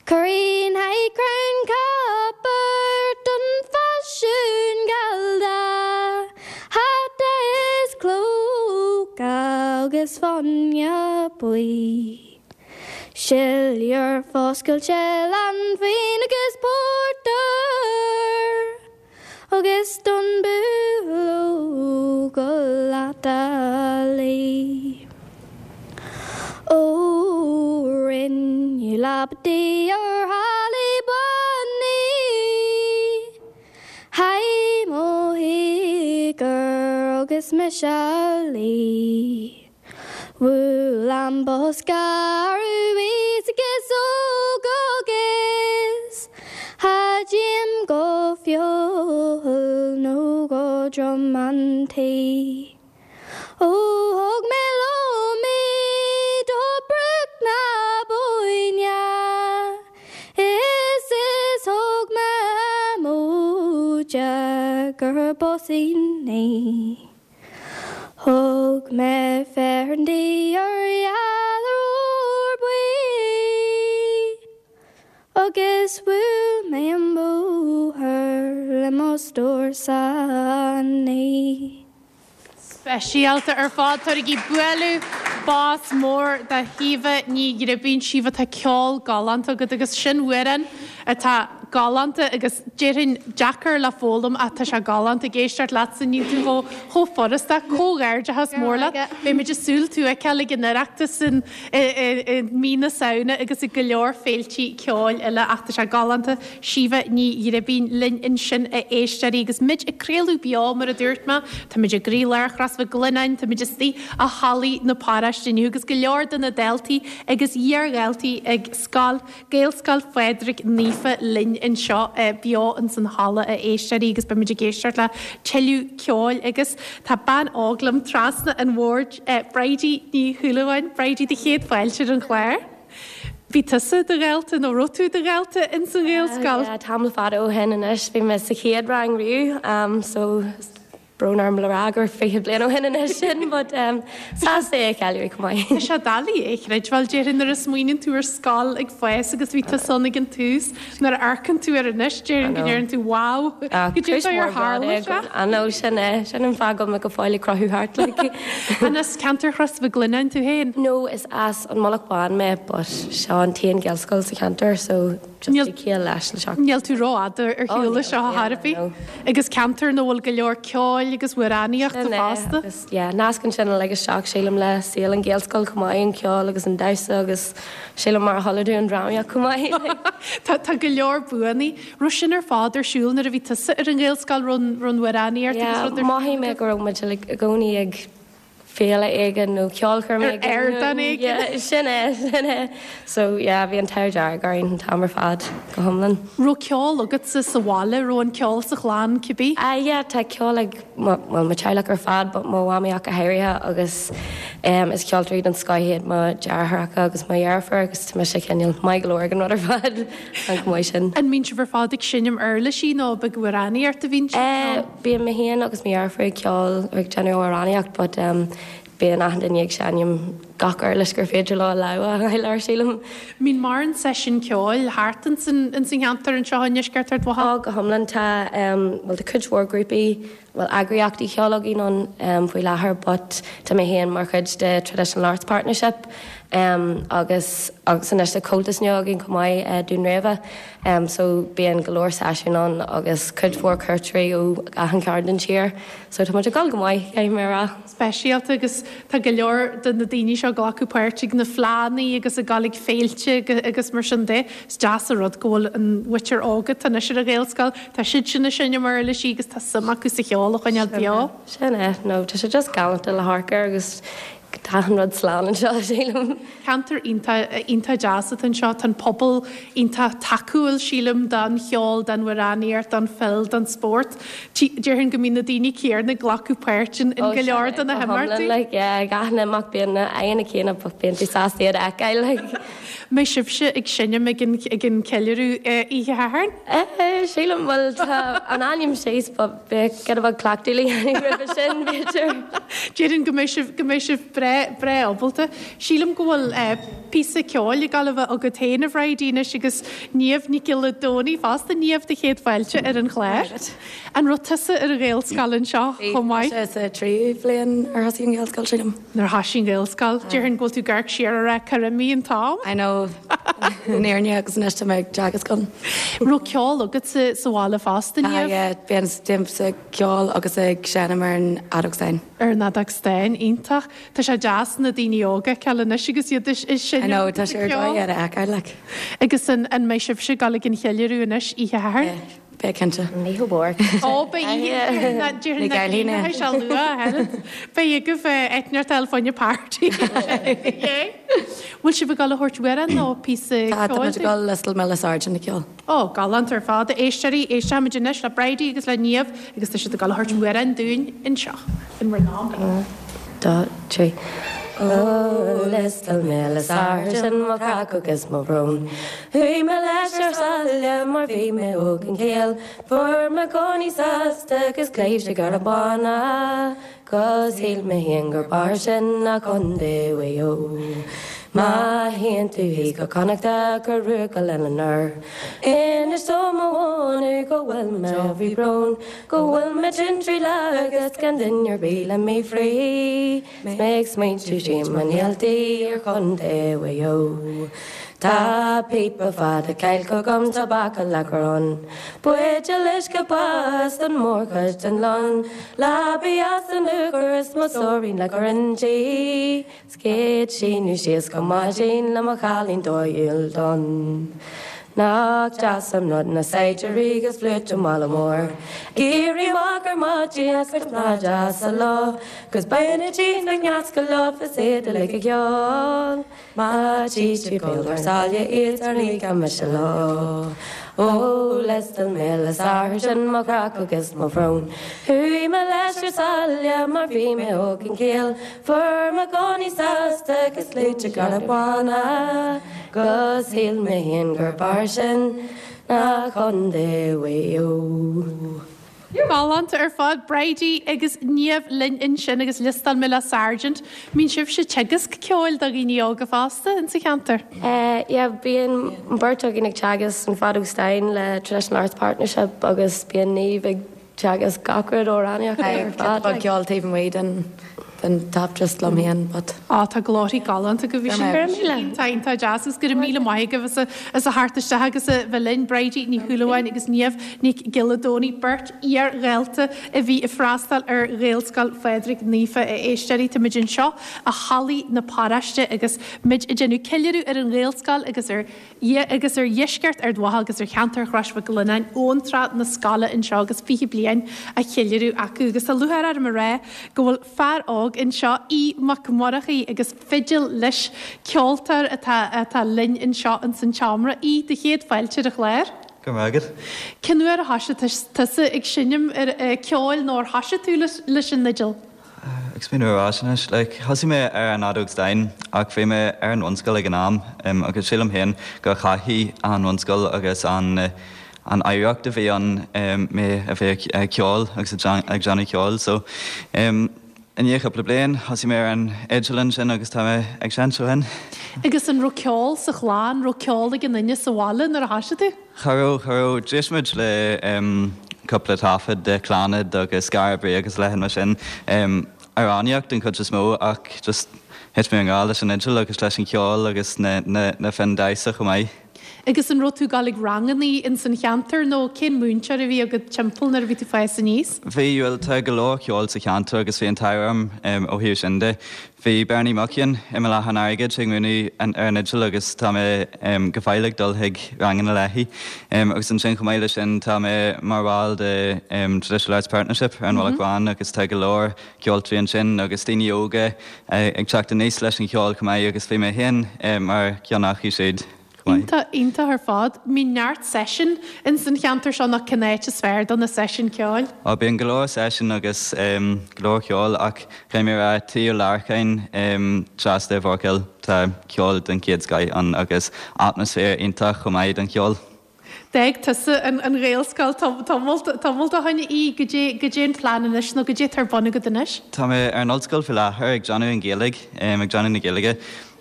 Cuireann high crown copper don faisiún gallda, Hata is clóca agus fáinne buí. Siléar foscailte leanbhain agus pórtar, Agus don bualadh go leat a luí. Ó rinneadh leaba di ar hallaí bannaí, Haigh mo thíogar agus mise a luí. Bhuail an bosca arís agus óg agus Cha dtéim go feoil nó go drom an tí. Ó thug mé liom í do Bruach na Bóinne, Is is thug mé móide gur bosín í. Thug mé fearann di ar ealar ór buí, Agus bhuail mé an bóthar le mo stór ní. Speisialta ar fad tabharaigí bualadh bos mór do Shíomha Ní Ghribín Síomha tá ceol galánta agat agus sin amhrán atá galánta agus déarfainn deacair le foghlaim ach tá sé galánta ag éisteacht leatsa níl tú chomh chomh furasta comhghairdeachas mór leat. Beimid ag súil tú a fheiceáil ag an Oireachtas in i mí na Samhna agus i go leor féiltí ceoil eile ach tá sé galánta Síomha Ní Ghribín linn ansin a éisteoirí agus muid ag craoladh beo mar a dúirt mé, Tá muid i gcroílár Chros Mhic Lionnáin, tá muid istigh i hallaí na paróiste inniu agus go leor de na daltaí agus iardhaltaí ag scoil Gaelscoil Phádraig Naofa linn anseo beo ins an halla a éisteoirí agus beimid ag éisteacht le tuilleadh ceoil agus tá bean óg liom trasna an bhoird Bridie Ní Shúilleabháin, Bridie do chéad fáilte ar an chlár. Bhí tusa do dhalta nó raibh tú do dhalta ins an Ghaelscoil? Uh, tamall fada ó shin anois bhí mé sa chéad rang riamh um, so brón orm le rá gur fiche bliain ó shin anois sin, but um, sásta é a cheiliúradh chomh maith. Tá sé doiligh é a chreidbheáil déarfainn nuair a smaoiníonn tú ar scoil ag fás agus bhí tusa ann ag an tús nuair a amharcann tú air anois déarfainn go ndeireann tú wow go dtí ar tharla sé. I know sin é sin an fáth go mbeidh go fóill ag cruthú thart like. An as ceantar Chros Mhic Lionnáin tú féin? No is as an Mullach Bán mé, but seo an t-aon Ghaelscoil sa cheantar so just Níl- céal leis le seach. Níl tú rófhada ar shiúl seo níl, thar bith no. agus ceantar ina bhfuil go leor ceoil agus amhránaíochta fosta. Agus, yeah, nascann sin le isteach sílim le saol an Ghaelscoil chomh maith an ceol agus an damhsa agus sílim mar a chuala tú an drámaíocht chomh maith. Tá tá go leor buanna, raibh sin ar fad ar siúl nuair a bhí tusa ar an Ghaelscoil raibh an amhránaíocht agus Yeah, rud ar mothaigh mé go raibh muid like, i gcónaí ag féile éigin nó ceolchoirm Ar ardán éigin. Yeah, sin é sin é. So yeah, bhí an t-ádh dearg orainn an t-am ar fad go hiomlán. Raibh ceol agatsa sa bhaile raibh an ceol sa chlann cibé? Uh, yeah, tá ceol ag well, mo teaghlach ar fad, but mo mhamaí go háirithe agus um, is ceoltóirí den scoth iad mo dheartháireacha agus mo dheirfiúr agus tá mise cineál maith go leor ag an rud ar fad an go maith sin. An mbíonn sibh ar fad ag seinm uirlisí nó ag amhránaíocht a bhíonn Uh, Bíonn mé féin agus mo dheirfiúr ag ceol ag déanamh amhránaíocht, but um, bíonn achan duine ag seinm gach uirlis gur féidir leo a lámha leir sílim. Mbíonn mórán seisiún ceoil thart in san cheantar anseo i ndeisceart Ard Mhacha? Á go hiomlán tá um, well, tá cuid mhór grúpaí well eagraíochtaí ceoil againn ann um, faoi láthair, but tá mé féin mar chuid de Traditional Arts Partnership um, agus agus anois tá Comhaltas nua againn chomh maith uh, Dún Réabha um, so bíonn go leor seisiún ann agus cuid mhór cuairteoirí ó achan chearn den tír, so tá muid ag dul go maith caithfidh mé a rá. Speisialta agus tá go leor de na daoine seo glacadh páirt ag na fleánna agus ag dul ag féilte agus mar sin de is deas an rud go bhfuil an mhuintir óg anois ar an Ghaelscoil Tá siad sin sin mar uirlisí agus tá suim acu sa cheol a choinneáil beo. Sin é no tá sé just galánta le hamharc air agus tá an rud slán anseo sílim. Ceantar iontach deas atá anseo tá pobal iontach tacúil sílim don cheol don amhránaíocht don pheil don spórt. Déarfainn go mbíonn na daoine céanna ag glacadh páirt in go leor de na himeachtaí. Like, yeah, gach imeacht bíonn na aghaidheanna céanna bíonn tú sásta iad a fheiceáil like. Mbeidh sibhse ag seinm ag an ag an ceiliúradh oíche Shathairn? Eh, sílim bhfuil tá an ainm síos beidh go bhfuil cleachtadh le roimhe sin b'fhéidir. Déarfainn go mbeidh sibh go mbeidh sibh breá breá ábalta. Sílim go bhfuil píosa ceoil ag gabháil a bheith agat féin a Bhridie anois agus Niamh Nic Giolla Dónaí fosta Niamh do chéad fáilte ar an chlár. An raibh tusa ar an Ghaelscoil anseo chomh maith? sa tríú bliain ar thosaigh an Ghaelscoil sílim. Nuair a thosaigh an Ghaelscoil, Déarfainn go bhfuil tú ag amharc siar ar a cur imí an t-am? I know néirne agus anois tá mé ag teagasc ann. Raibh ceol agat sa sa bhaile fosta Niamh? Bíonn déanaim ceol agus ag seinm ar an fheadóg stáin. Ar an fheadóg stáin iontach Tá sé deas na daoine óga ceil anois agus iad is sin I know tá sé ar dóigh ar a fheiceáil like. Agus an an mbeidh sibhse ag dul ag an cheiliúradh anois oíche Shathairn? Beidh cinnte. Ní mór. Ó Ní gailín é. sé luath Beidh agaibh eitneart fáinne party. Bhfuil sibh ag dul a thabhairt amhrán nó píosa Tá tá dul Liostáil mé le Sargent a cheol. Ó galánta ar fad éisteoirí éistfimid anois le Bridie agus le Niamh agus tá siad ag dul a thabhairt amhrán dúinn anseo in bhur n-am. Dá trí. Ó Liostáil mé le Sargent mo chraic agus mo bhrón. Chuaigh mé leis ar sáile mar bhí mé óg gan chéill, Fuair mé cónaí sásta agus cléibhte gar a bána, 'Cos shíl mé féin gur b'fhearr sin ná Contae Mhaigh Eo. Má théann tú thíos go Connachta cuir ruaig lena anoir. Inis dó mo mhóna go bhfuil mé faoi brón, go bhfuil mé tinn trí lá agus gan duine ar bith le mé phré. Mé ag smaointiú sí mo néaltaí ar Chontae Mhaigh Eo. Tá píopa fada cailce agam tobac le cur ann. Buidéal uisce bás an mórchuid den lon, Leabaidh as an uachar is mo stóirín le cur inti. Scéad síniú síos go maidin le mo chailín dóighiúil donn. Nach deas an rud na saighdiúirí agus fliúit an bhaile mhóir. Éirí amach ar maidin agus lá deas sa lá, 'Cos beidh na dí na ngeas go lá is iad uilig ag ceol. Má tí tú ar sáile iad ar ní go me lá. Ó Liostáil mé le Sargent mo chraic agus mo bhrón. Chuaigh mé leis ar sáile mar bhí mé óg gan chéill, Fuair mé cónaí sásta agus sluaite gar bána, 'Cos shíl mé féin gur b'fhearr sin ná Contae Mhaigh Eo. Galánta ar fad Bridie agus Niamh linn ansin agus Liostáil mé le Sargent. Mbíonn sibhse ag teagasc ceoil do dhaoine óga fosta in sa cheantar. Uh, yeah, bíonn beirt againn ag teagasc an feadóg stáin le Traditional Arts Partnership agus bíonn Niamh ag teagasc gach rud amhránaíocht ar fad. Tá ceol taobh amuigh den den tap just liom féin, but Á tá glóirí galánta go bhí sin Tá tá deas agus go raibh míle maith agaibh as a as a theacht isteach agus a bheith linn Bridie Ní Shúilleabháin agus Niamh Nic Giolla Dónaí beirt iar-dhalta a bhí ag freastal ar Ghaelscoil Phádraig Naofa a éisteoirí Táimid anseo i Halla na Paróiste agus muid ag déanamh ceiliúradh ar an Ghaelscoil agus ar agus ar dheisceart Ard Mhacha agus ar cheantar Chrois Mhic Lionnáin ón tráth na scoile anseo agus fiche bliain á cheiliúradh acu agus tá lúcháir orm a rá go bhfuil fear óg nÓg anseo Aodh Mac Murchaidh agus fidil leis ceoltóir atá atá linn anseo in san tseomra Aodh do chéad fáilte ar an chlár. Go raibh maith agat. Cén uair a thosaigh tusa ag seinm ar ceoil nó ar thosaigh tú leis an fhidil? Ag smaoineamh ar ais anois, like, thosaigh mé ar an fheadóg stáin ach bhí mé ar an bhunscoil ag an am um, agus sílim féin go chaithfidh an bhunscoil agus an an oidhreacht a bhí ann um, mé a bheith ag ceol agus ag déanamh ceoil so um, i ndiaidh cúpla bliain thosaigh mé ar an fhidil ansin agus tá mé ag seinnt ó shin. Agus an raibh ceol sa chlann raibh ceol ag an duine sa bhaile nuair a thosaigh tú? Cha raibh cha raibh d'éist muid le um, cúpla taifead de Clannad agus Skara Brae agus leithéid mar sin um, amhránaíocht den chuid is mó ach just thit mé i ngrá leis an fhidil agus leis an cheol agus na, na, na foinn damhsa chomh maith. Agus an raibh tú ag dul ag rangannaí in san cheantar nó cén múinteoir a bhí agat timpeall nuair a bhí tú ag fás aníos? Bhí bhuel tá go leor ceol sa cheantar agus bhí an t-ádh orm um, ó thaobh sin de. Bhí Bernie Muckian i mBealach an Airgid ag múineadh ar an fhidil agus tá mé um, go fóill ag dul chuig ranganna léi. Um, agus ansin chomh maith leis sin tá mé mar bhall de um, Traditional Arts Partnership ar an mm -hmm. Bhealach agus tá go leor ceoltóirí ansin agus daoine óga uh, ag teacht aníos leis an cheol chomh maith agus bhí mé féin um, mar ceann acu siúd. Iontach iontach ar fad, mbíonn neart seisiún in san cheantar seo nach cén áit is fearr do na seisiúin ceoil. Á bíonn go leor seisiún agus um, go leor ceol ach caithfidh mé rá Tí Ó Lorcáin um, trasna i bhForkhill tá ceol den chéad scoth ann agus atmaisféar iontach chomh maith don cheol. D'fhág tusa an, an Ghaelscoil tamall ó shin í go dtí an plean anois nó go dtí tar bun agat anois? Tá mé ar an ollscoil faoi láthair ag déanamh an Ghaeilge um, ag déanamh na Gaeilge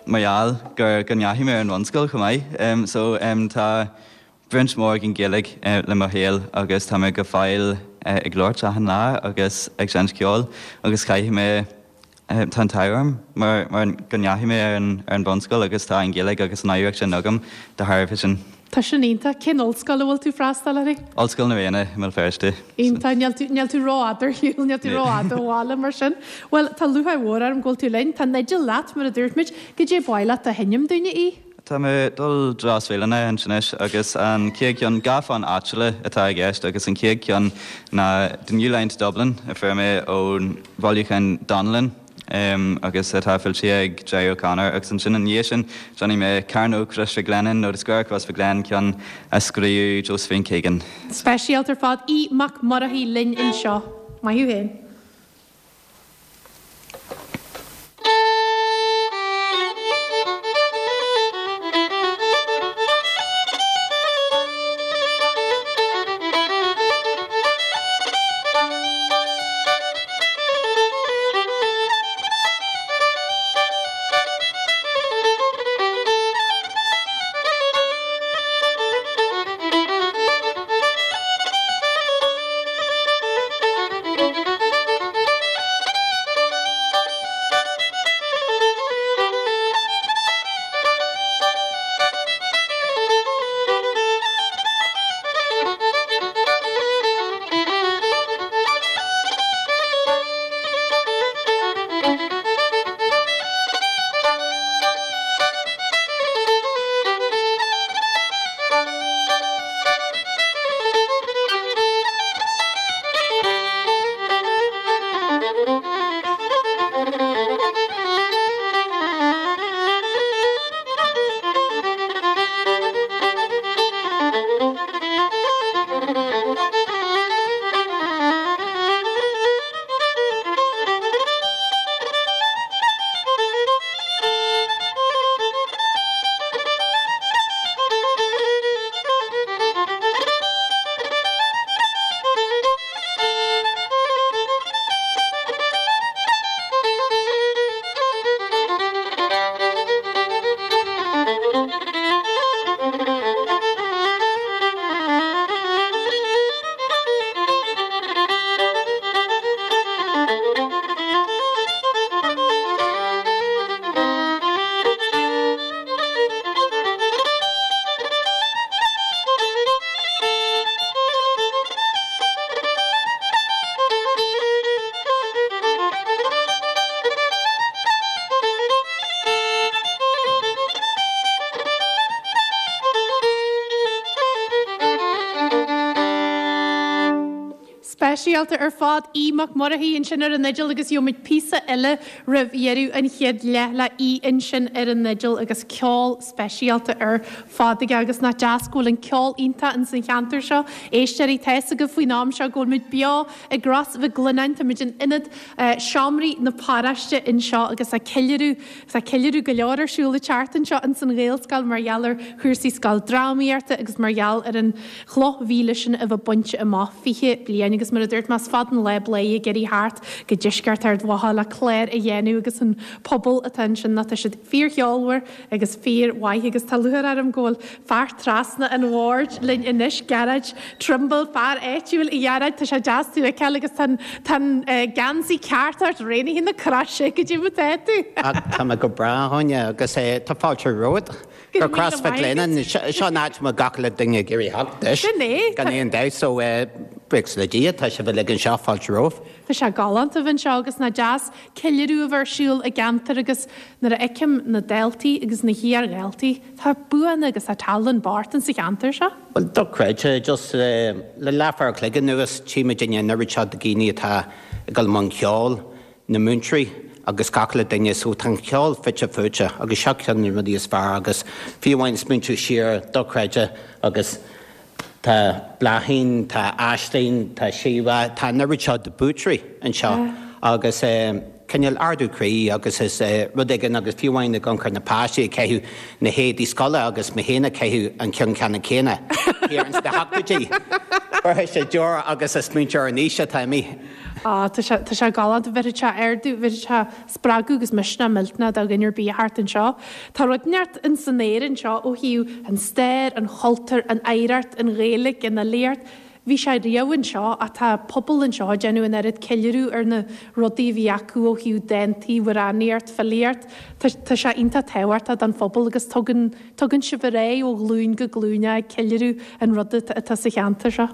mar gheall gur go ndeachaigh mé ar an bhunscoil chomh maith. Um, so um, tá baint mhór ag an Ghaeilge uh, le mo shaol agus tá mé go fóill uh, ag labhairt achan lá agus ag seinnt ceoil agus caithfidh mé uh, tá an t-ádh orm mar, mar go ndeachaigh mé ar an, ar an bhunscoil agus tá an Ghaeilge agus an oidhreacht sin agam de thairbhe sin. Tá sin iontach cén ollscoil a bhfuil tú freastal uirthi? Ollscoil na Ríona i mBéal Feirste. Iontach níl tú níl tú rófhada ar shiúl níl tú rófhada ó bhaile mar sin. Well tá lúcháir mhór orm go bhfuil tú linn, Tá an fhidil leat mar a dúirt muid, goidé ba mhaith leat a sheinm dúinne í? Tá mé dul Deasmhíleanna anois agus an chéad cheann dhá fonn áitiúla atá i gceist agus an chéad cheann ná The New Line to Dublin a fuair mé ón bhailiúchán Donnellan um, agus atá foilsithe ag Jerry O'Connor agus ansin ina dhiaidh sin déanfaidh mé Cearnóg Chrois Mhic Lionnain nó The Square Crossmaglen ceann a scríobh Josephine Keegan. Speisialta ar fad Aodh Mac Murchaidh linn anseo. Maith thú féin. Thank you. Speisialta ar fad Aodh Mac Murchaidh ansin ar an fhidil agus gheobhaimid píosa eile roimh dheireadh an chéad leath le Aodh ansin ar an fhidil agus ceol speisialta ar fad aige agus nach deas go bhfuil an ceol iontach ins an cheantar seo. Éisteoirí tá a fhios agaibh faoin am seo go bhfuil muid beo i gCros Mhic Lionnáin, tá muid in ionad seomraí na paróiste anseo agus tá ceiliúradh tá ceiliúradh go leor ar siúl an tseachtain seo ins an Ghaelscoil mar gheall ar chúrsaí scoil drámaíochta agus mar gheall ar an chloch mhíle sin a bheith bainte amach fiche bliain agus mar a dúirt mé is fada an lá Bladhaire ag iarraidh theacht go deisceart Ard Mhacha le clár a dhéanamh agus an pobal atá ansin ná tá siad fíorcheolmhar agus fíormhaith agus tá lúcháir orm go bhfuil fear trasna an bhoird linn anois Gearóid Trimble fear áitiúil a Ghearóid tá sé deas tú a fheiceáil agus tá tá an geansaí ceart ort Raonaithe na Croise go dtí tá tú. Tá mé go breá Áine agus tá fáilte romhat. Go Crois Mhic Lionnáin seo an áit mar gach le duine ag iarraidh theacht leis. Sin é. Gan aon dabht so buíochas le Dia tá sibh uilig anseo fáilte romhaibh. Tá sé galánta anseo agus nach deas ceiliúradh a bheith ar siúl i gceantar agus nuair a fheicim na daltaí agus na hiardhaltaí tá buanna agus tá tallann bocht sa cheantar seo. Well dochreidte just le leathuair an chloig anuas tchímid an oiread seo de dhaoine atá ag dul i mbun ceoil, na múinteoirí agus gach le duine so tá an ceol fite fuaite agus seo ceann na rudaí is fearr agus fiú amháin smaointiú siar dochreidte agus tá Bláithín, tá Aisling, tá Síomha, tá an oiread seo de buaiteoirí anseo agus cineál ardú croí agus is rud éigin agus fiú amháin ag amharc ar na páistí ag caitheamh na héadaí scoile agus mé féin ag caitheamh an ceann ceannann céanna thiar ins na hochtóidí. Chuir sé deor agus is smaointeoir an aois atá mé. Á tá sé tá sé galánta bheirfeadh sé ardú bheirfeadh sé spreagadh agus misneach millteanach do dhuine ar bith thart anseo. Tá rud neart in san aer anseo ó thaobh an stair, an chultúr, an oidhreacht, an Ghaeilge, an fhilíocht. Bhí sé riamh anseo ach tá pobal anseo ag déanamh an oiread ceiliúradh ar na rudaí a bhí acu ó thaobh dántaí, amhránaíocht, filíocht. Tá tá sé iontach tábhachtach don phobal agus tugann tugann sibh ar aghaidh ó ghlúin go glúin é ag ceiliúradh an rud atá sa cheantar seo.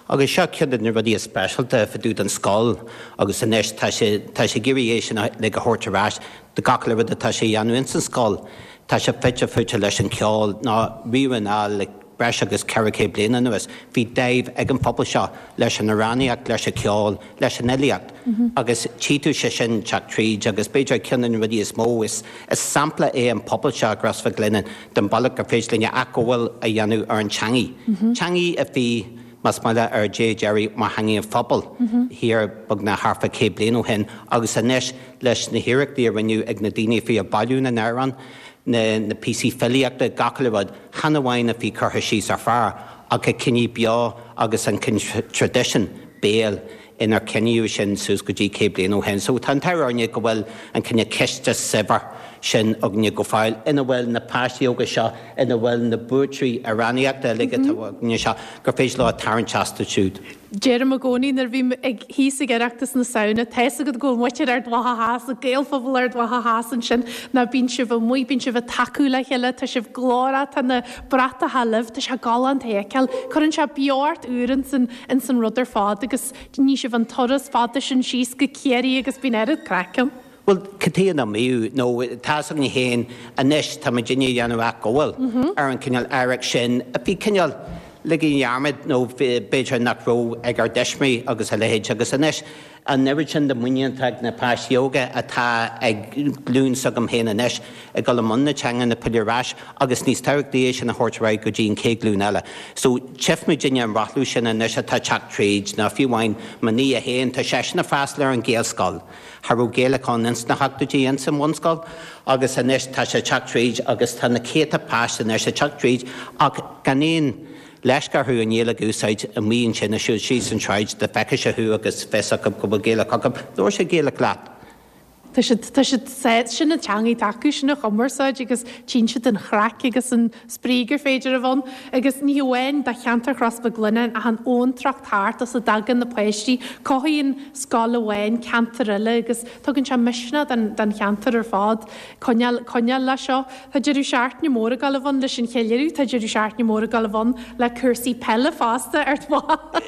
Agus seo ceann de na rudaí is speisialta fá dtaobh den scoil agus anois tá sé tá sé ag iarraidh é sin le go thabhairt ar ais do gach le rud atá sé a dhéanamh ins an scoil. Tá sé fite fuaite leis an ceol ná riamh anall le breis agus ceithre chéad bliain anuas. Bhí dáimh ag an phobal seo leis an amhránaíocht, leis an ceol, leis an fhilíocht. Agus tchí tú sé sin teacht tríd agus b'fhéidir ceann de na rudaí is mó is is sampla é an pobal seo i gCros Mhic Lionnáin den bhealach gur féidir linne athghabháil a dhéanamh ar an teangaidh. Teangaidh a bhí más maith ar dé deiridh mar theangaidh an phobail thiar beagnach thart fá céad bliain ó shin agus anois leis na hiarrachtaí a rinneadh ag na daoine a bhí ag bailiú na n-amhrán, na na píosaí filíochta gach uile rud, chan amháin a bhí curtha síos ar phár ach a coinníodh beo agus an traidisiún béil inar coinníodh sin suas go dtí céad bliain ó shin. So tá an t-ádh orainne go bhfuil an cineál ciste saibhir sin againne go fóill ina bhfuil na páistí óga seo ina bhfuil na buaiteoirí amhránaíochta uilig atá againne seo gur féidir leo tarraingt astu siúd. Deirim i gcónaí nuair a bhím ag thíos ag Oireachtas na Samhna, tá a fhios agat go bhfuil muintir Ard Mhacha Theas, an Gaelphobal Ard Mhacha Theas ansin, ná bíonn sibh amuigh, bíonn sibh ag tacú le chéile, tá sibh glórach, tá na bratacha libh, tá sé galánta a fheiceáil. Cuireann sé beocht úr ins an ins an rud ar fad agus ní sibh an turas fada sin síos go Ciarraí agus bíonn oiread craic ann. Well cad chuige nach mbeadh nó tá againn féin anois tá muid ag déanamh athghabháil ar an cineál oidhreacht sin a bhí cineál ligthe i ndearmad nó b'fhéidir nach raibh ag ár dtuismitheoirí agus a leithéid agus anois an oiread sin de mhuinín ag na páistí óga atá ag glúin s'agam féin anois ag dul i mbun na teanga na pilleadh ar ais agus níos tábhachtaí é sin a thabhairt ar aghaidh go dtí an chéad ghlúin eile. So tchífimid an rothlú sin anois atá teacht tríd ná fiú amháin mo nia féin tá seisean ag freastal ar an Ghaelscoil. Cha raibh Gaeilge ann ins na hochtóidí ins an bhunscoil agus anois tá sé teacht tríd agus tá na céadta páiste anois ag teacht tríd ach gan aon leisce orthu an Ghaeilge a úsáid amuigh ansin ag siúl síos an tsráid dá bhfeicfeadh sé thú agus fios acu go bhfuil Gaeilge acu, labhair sé Gaeilge leat. Tá siad tá siad sin an teangaidh atá acu sin an chumarsáid agus tchíonn siad an chraic agus an spraoi gur féidir a bheith ann. Agus ní hamháin do cheantar Chros Mhic Lionnáin ach an abhantrach thart as a dtagann na páistí, cothaíonn scoil amháin ceantar eile agus tugann sé misneach don don cheantar ar fad. Coinneáil coinneáil le seo. Tá deireadh seachtaine mór ag dul a bheith ann leis an cheiliúradh, tá deireadh seachtaine mór ag dul a bheith ann le cúrsaí peile fosta ar ag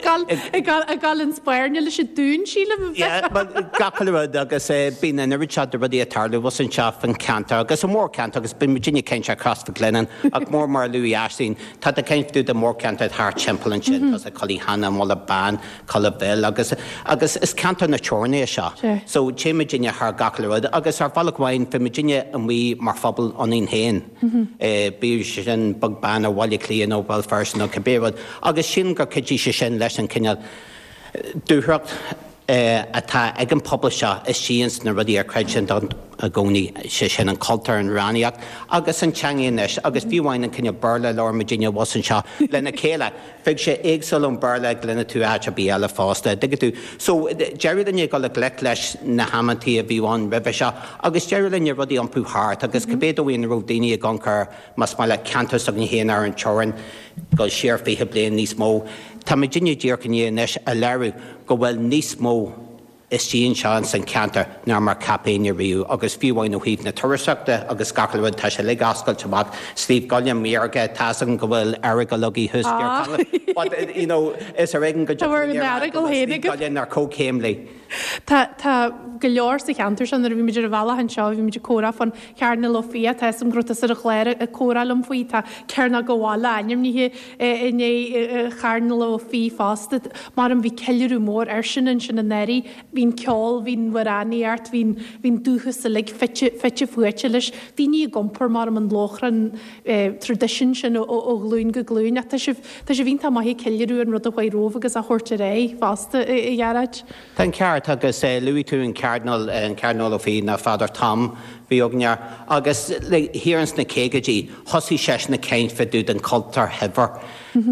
dul ag dul ag dul an spairne leis an Dún sílim. Yeah, well, gach uile rud agus bíonn an oiread seo de rudaí ag tarlú abhus anseo fan cheantar agus an mórcheantar agus bíonn muidinne ag caint ar Chros Mhic Lionnáin ach mór mar a luaigh Aisling, tá tú ag caint fá dtaobh de mórcheantar thart timpeall ansin, tá Cully Hannah, an Mullach Bán, Culaith Bhill agus agus is ceantar na teorann é seo. So téann muidinne thar gach uile rud agus ar bhealach amháin bhí muidinne amuigh mar phobal ionainn féin, bíodh sin beag beann ar Bhaile Átha Cliath nó Béal Feirste nó cibé rud agus sílim gur chuidigh sé sin leis an cineál dúthracht atá ag an pobal seo istigh ins na rudaí ar chreid siad i gcónaí, sé sin an cultúr, an amhránaíocht agus an teanga anois agus fiú amháin an cineál Béarla a labhair muidinne abhus anseo lena chéile, bheadh sé éagsúil ón Béarla a gcluineann tú áit ar bith eile fosta, dtuigeann tú. So, d'éirigh linne dul i ngleic leis na hamantaí a bhí ann roimhe seo agus d'éirigh linne rudaí a iompú thart agus cibé dóigh ina raibh daoine ag amharc ar, más maith leat, ceantar s'againn féin ar an teorainn, dul siar fiche bliain níos mó, Tá muidinne díreach i ndiaidh anois a léiriú go bhfuil níos mó istigh anseo ins an cheantar ná mar cheap éinne riamh agus fiú amháin ó thaobh na turasóireachta agus gach uile rud tá sé uilig oscailte amach. Sliabh gCuillinn maorga, tá's agam go bhfuil Earagail agaibh thuas i dTír Chonaill but you know is ar éigean go dtiocfaidh an fhírinne go bhfuil Sliabh gCuillinn ar comhchéim léi. Tá, tá go leor sa cheantar seo, nuair a bhí muid ar an bhealach anseo bhí muid ag comhrá fán Chearnal Ó Fiaich, tá 'fhios a'm go raibh tusa ar an chlár ag comhrá liom faoi, tá Cearnóg an Bhaile ainmnithe i ndiaidh Chearnal Ó Fiaich fosta. Mar bhí ceiliúradh mór air sin ansin anuraidh, bhí an ceol, bhí an amhránaíocht, bhí an, bhí an dúchas uilig fite, fite fuaite leis. Daoine ag iompar mar an lóchrann traidisiún sin ó, ó ghlúin go glúin ach tá sibh, tá sibh iontach maith ag ceiliúradh an rud a chuaigh romhaibh agus á thabhairt ar aghaidh fosta, a Ghearóid. Tá an ceart agus luaigh tú an Cearnal, an Cearnal Ó Fiaich ná Father Tom bhí againn air agus thiar ins na caogaidí thosaigh seisean ag caint fá dtaobh den chultúr shaibhir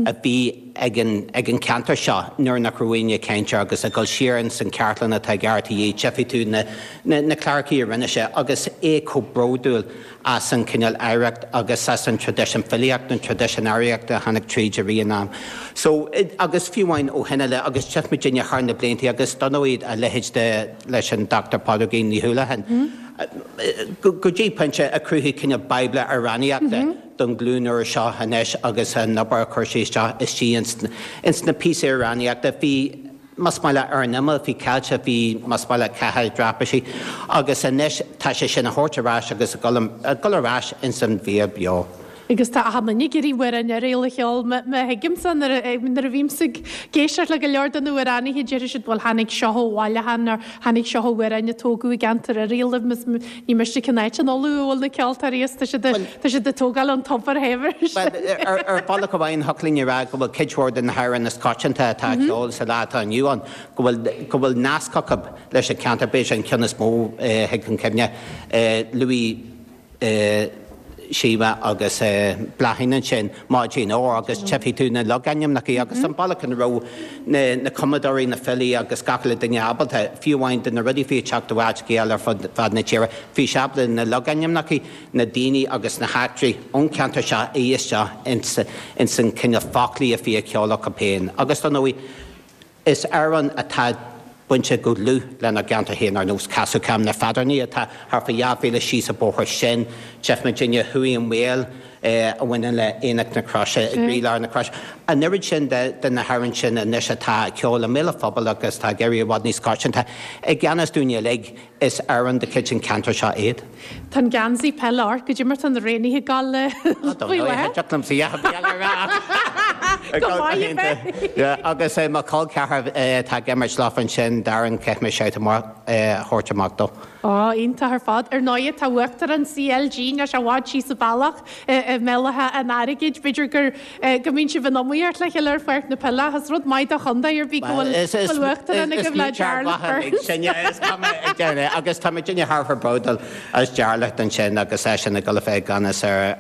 a bhí ag an ag an cheantar seo nuair nach raibh éinne ag caint air agus ag dul siar ins an chartlann atá ag RTÉ tchífidh tú na na na clárachaí a rinne sé agus é chomh bródúil as an cineál oidhreacht agus as an traidisiún filíochta, an traidisiún amhránaíochta a tháinig tríd i rith an am. So, agus fiú amháin ó shin i leith, agus tchí muidinne thar na blianta agus dar ndóigh a leithéid de leis an Dr Pádraigín Ní Houlihan, go dtí pointe a chruthaigh cineál bíobla amhránaíochta don ghlúin úr seo anois agus an obair a chuir sí isteach istigh ins na píosaí amhránaíochta. Bhí. más maith leat, ar an imeall, bhí caillte, bhí, más maith leat, caithe i dtraipisí, agus anois tá sé sin á thabhairt ar ais agus ag dul, ag dul ar ais ins an bhéal beo. Agus tá achan duine ag iarraidh amhrán Oiriall a cheol, má thuigimse, nuair a, nuair a bhímse ag éisteacht le go leor de na hamhránaithe déarfaidh siad bhuel tháinig seo ó bhailiúchán nó tháinig seo ó amhrán a tógadh i gceantar Oiriall, ní miste cén áit in Uladh a bhfuil na ceoltóirí as, tá siad, tá siad ag tógáil ón tobar shaibhir. Bhuel, ar, ar bhealach amháin, thiocfadh linn a rá go bhfuil cuid mhór de na hamhráin is coitianta atá á gceol sa lá atá inniu ann, go bhfuil, go bhfuil nasc acu leis an cheantar. B'fhéidir an ceann is mó a thig chun cuimhne, luaigh Síomha agus Bláithín ansin, Maidin Óir, agus tchífidh tú na logainmneacha agus an bealach ina raibh na, na cumadóirí, na filí agus gach uile duine ábalta, fiú amháin de na rudaí a bhí ag teacht ó áiteacha eile ar fud fad na tíre, bhí sé ábalta na logainmneacha, na daoine agus na heachtraí ón cheantar seo a fhí isteach ins, ins an cineál foclaí a bhí á cheol acu féin. Agus dar ndóigh, is amhráin atá bainte go dlúth lenár gceantar féin ar nós Casadh Cam na Feadóirí atá thart fá dhá mhíle síos an bóthar sin, tchí muidinne Chuaigh an Maol a bhaineann le Aonach na Croise i gcroílár na Croise. An oiread sin de na hamhráin sin anois atá á gceol i mbéal an phobail agus atá ag éirí i bhfad níos coitianta i ngan fhios dúinne uilig, is amhráin de chuid an cheantair seo iad. Tá an geansaí peile ort, goidé mar tá na roghnaithe ag gabháil faoi láthair. Thiocfadh liomsa peil a rá. Go maith a bheith. Agus mo chol ceathrar atá ag imirt leofa ansin, Darren, caithfidh mé shout amach a thabhairt amach dó. Ó, iontach ar fad. Ar ndóigh, tá Uachtarán CLG níl sé i bhfad síos an bealach i mBéal Átha an Airgid. B'fhéidir gur go mbíonn sibh in iomaíocht le chéile ar pháirc na peile ach is rud maith do chontae ar bith go bhfuil bhfuil Uachtarán agaibh le Jarlath Burns. Agus tá muidinne thar a bheith bródúil as Jarlath ansin agus eisean ag dul a bheith i gceannas ar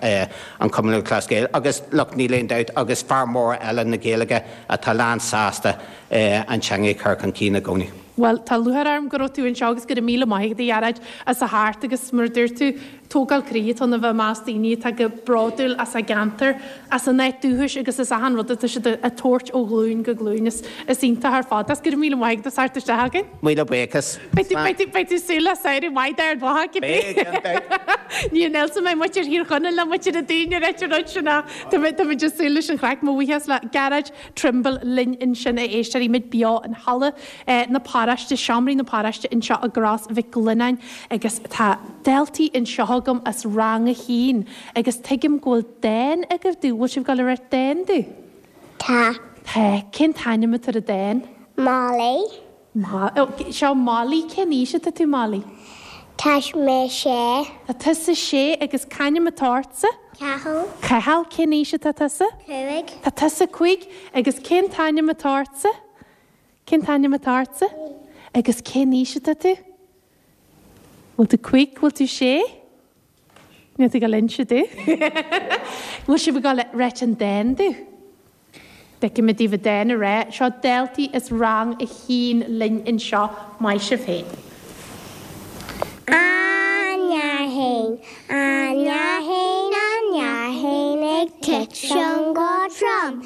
an Chumann Lúthchleas Gael agus look níl aon dabht agus fear mór eile na Gaeilge atá lán sásta an teanga a chur chun cinn i gcónaí. Bhuel, tá lúcháir orm go raibh tú anseo agus go raibh míle maith agat, a Ghearóid, as a theacht agus mar a dúirt tú, tógáil croí atá ann a bheith i measc daoine atá go bródúil as a gceantar, as a n-áit dúchais agus as achan rud atá siad a tabhairt ó ghlúin go glúin. Is iontach ar fad. Is go raibh míle maith agat as theacht isteach againn. Míle buíochas. Beidh tú beidh tú beidh tú súil le samhradh maith d'Ard Mhacha cibé. Beidh, gan dabht. Ní an Elsa mé muintir Thír Chonaill ná muintir an Dúin ar an rud sin ach tá muid tá muid ag súil leis an chraic. Mo bhuíochas le Gearóid Trimble linn ansin a éisteoirí muid beo in halla na paróiste, seomraí na paróiste anseo i gCros Mhic Lionnáin agus tá daltaí anseo agam as rang a haon agus tuigim go bhfuil dán agaibh domh, bhfuil sibh ag dul a rá dán domh? Tá. Tá. Cén t-ainm atá ar an dán? Molly. Ma, oh, seo Molly, cén aois atá tú Molly? Tá mé sé. Tá tusa sé agus c'ainm atá ortsa? Cathal. Cathal, cén aois atá tusa? Cúig. Tá tusa cúig agus cén t-ainm atá ortsa? Cén t-ainm atá ortsa? Agus cén aois atá tú? Bhfuil tú cúig, bhfuil tú sé? Níl tú ag dul a inse domh. Bhfuil sibh ag dul a ráit an dán domh? Feicfimid daoibh an dán a rá. Seo daltaí as rang a haon linn anseo. Maith sibh féin. An ndeartháin, an ndeartháin, an ndeartháin ag titim go trom,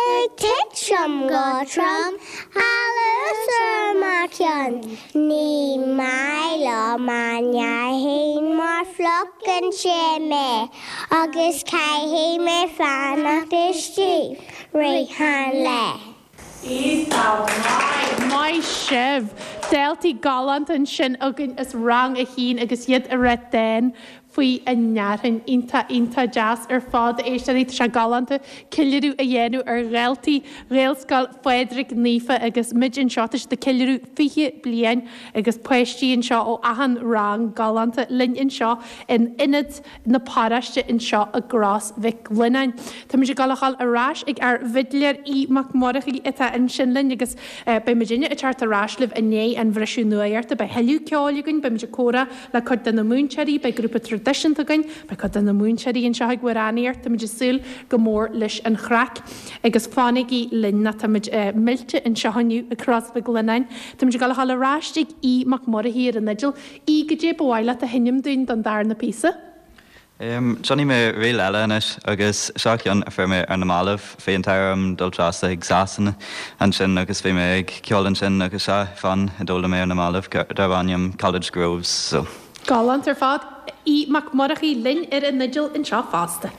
ag titim go trom, anuas ar mo cheann. Ní maith liom an ndeartháin mar fliuchann sé mé agus caithfidh mé fanacht istigh rith an lae. Iontach maith. Maith sibh. Daltaí galánta ansin againn as rang a haon agus iad ag rá dán faoi a ndeartháin. Iontach, iontach deas ar fad a éisteoirí. Tá sé galánta ceiliúradh a dhéanamh ar dhaltaí Ghaelscoil Phádraig Naofa agus muid anseo. Tá siad ag ceiliúradh fiche bliain agus páistí anseo ó achan rang galánta linn anseo in ionad na paróiste anseo i gCros Mhic Lionnáin. Táimid ag dul a dhul ar ais ag ár bhfidléir Aodh Mac Murchaidh atá ansin linn agus beidh muidinne ag teacht ar ais libh i ndiaidh an bhriseadh nuachta. Beidh thuilleadh ceoil againn, beimid ag comhrá le cuid de na múinteoirí, beidh grúpa traidisiúnta againn, beidh cuid de na múinteoirí anseo ag amhránaíocht, táimid ag súil go mór leis an chraic agus fanaigí linn nó táimid millte anseo inniu i gCros Mhic Lionnáin. Táimid ag dul a dhul ar ais ag Aodh Mac Murchaidh ar an fhidil. Aodh, goidé ba mhaith leat a sheinm dúinn don darna píosa? Déanfaidh mé ríl eile anois agus seo ceann a fuair mé ar na mallaibh. Bhí an t-ádh orm dul trasna chuig Sasana ansin agus bhí mé ag ceol ansin agus seo fonn a d'fhoghlaim mé ar na mallaibh darb ainm College Groves. So. Galánta ar fad. Aodh Mac Murchaidh linn ar an fhidil anseo fosta.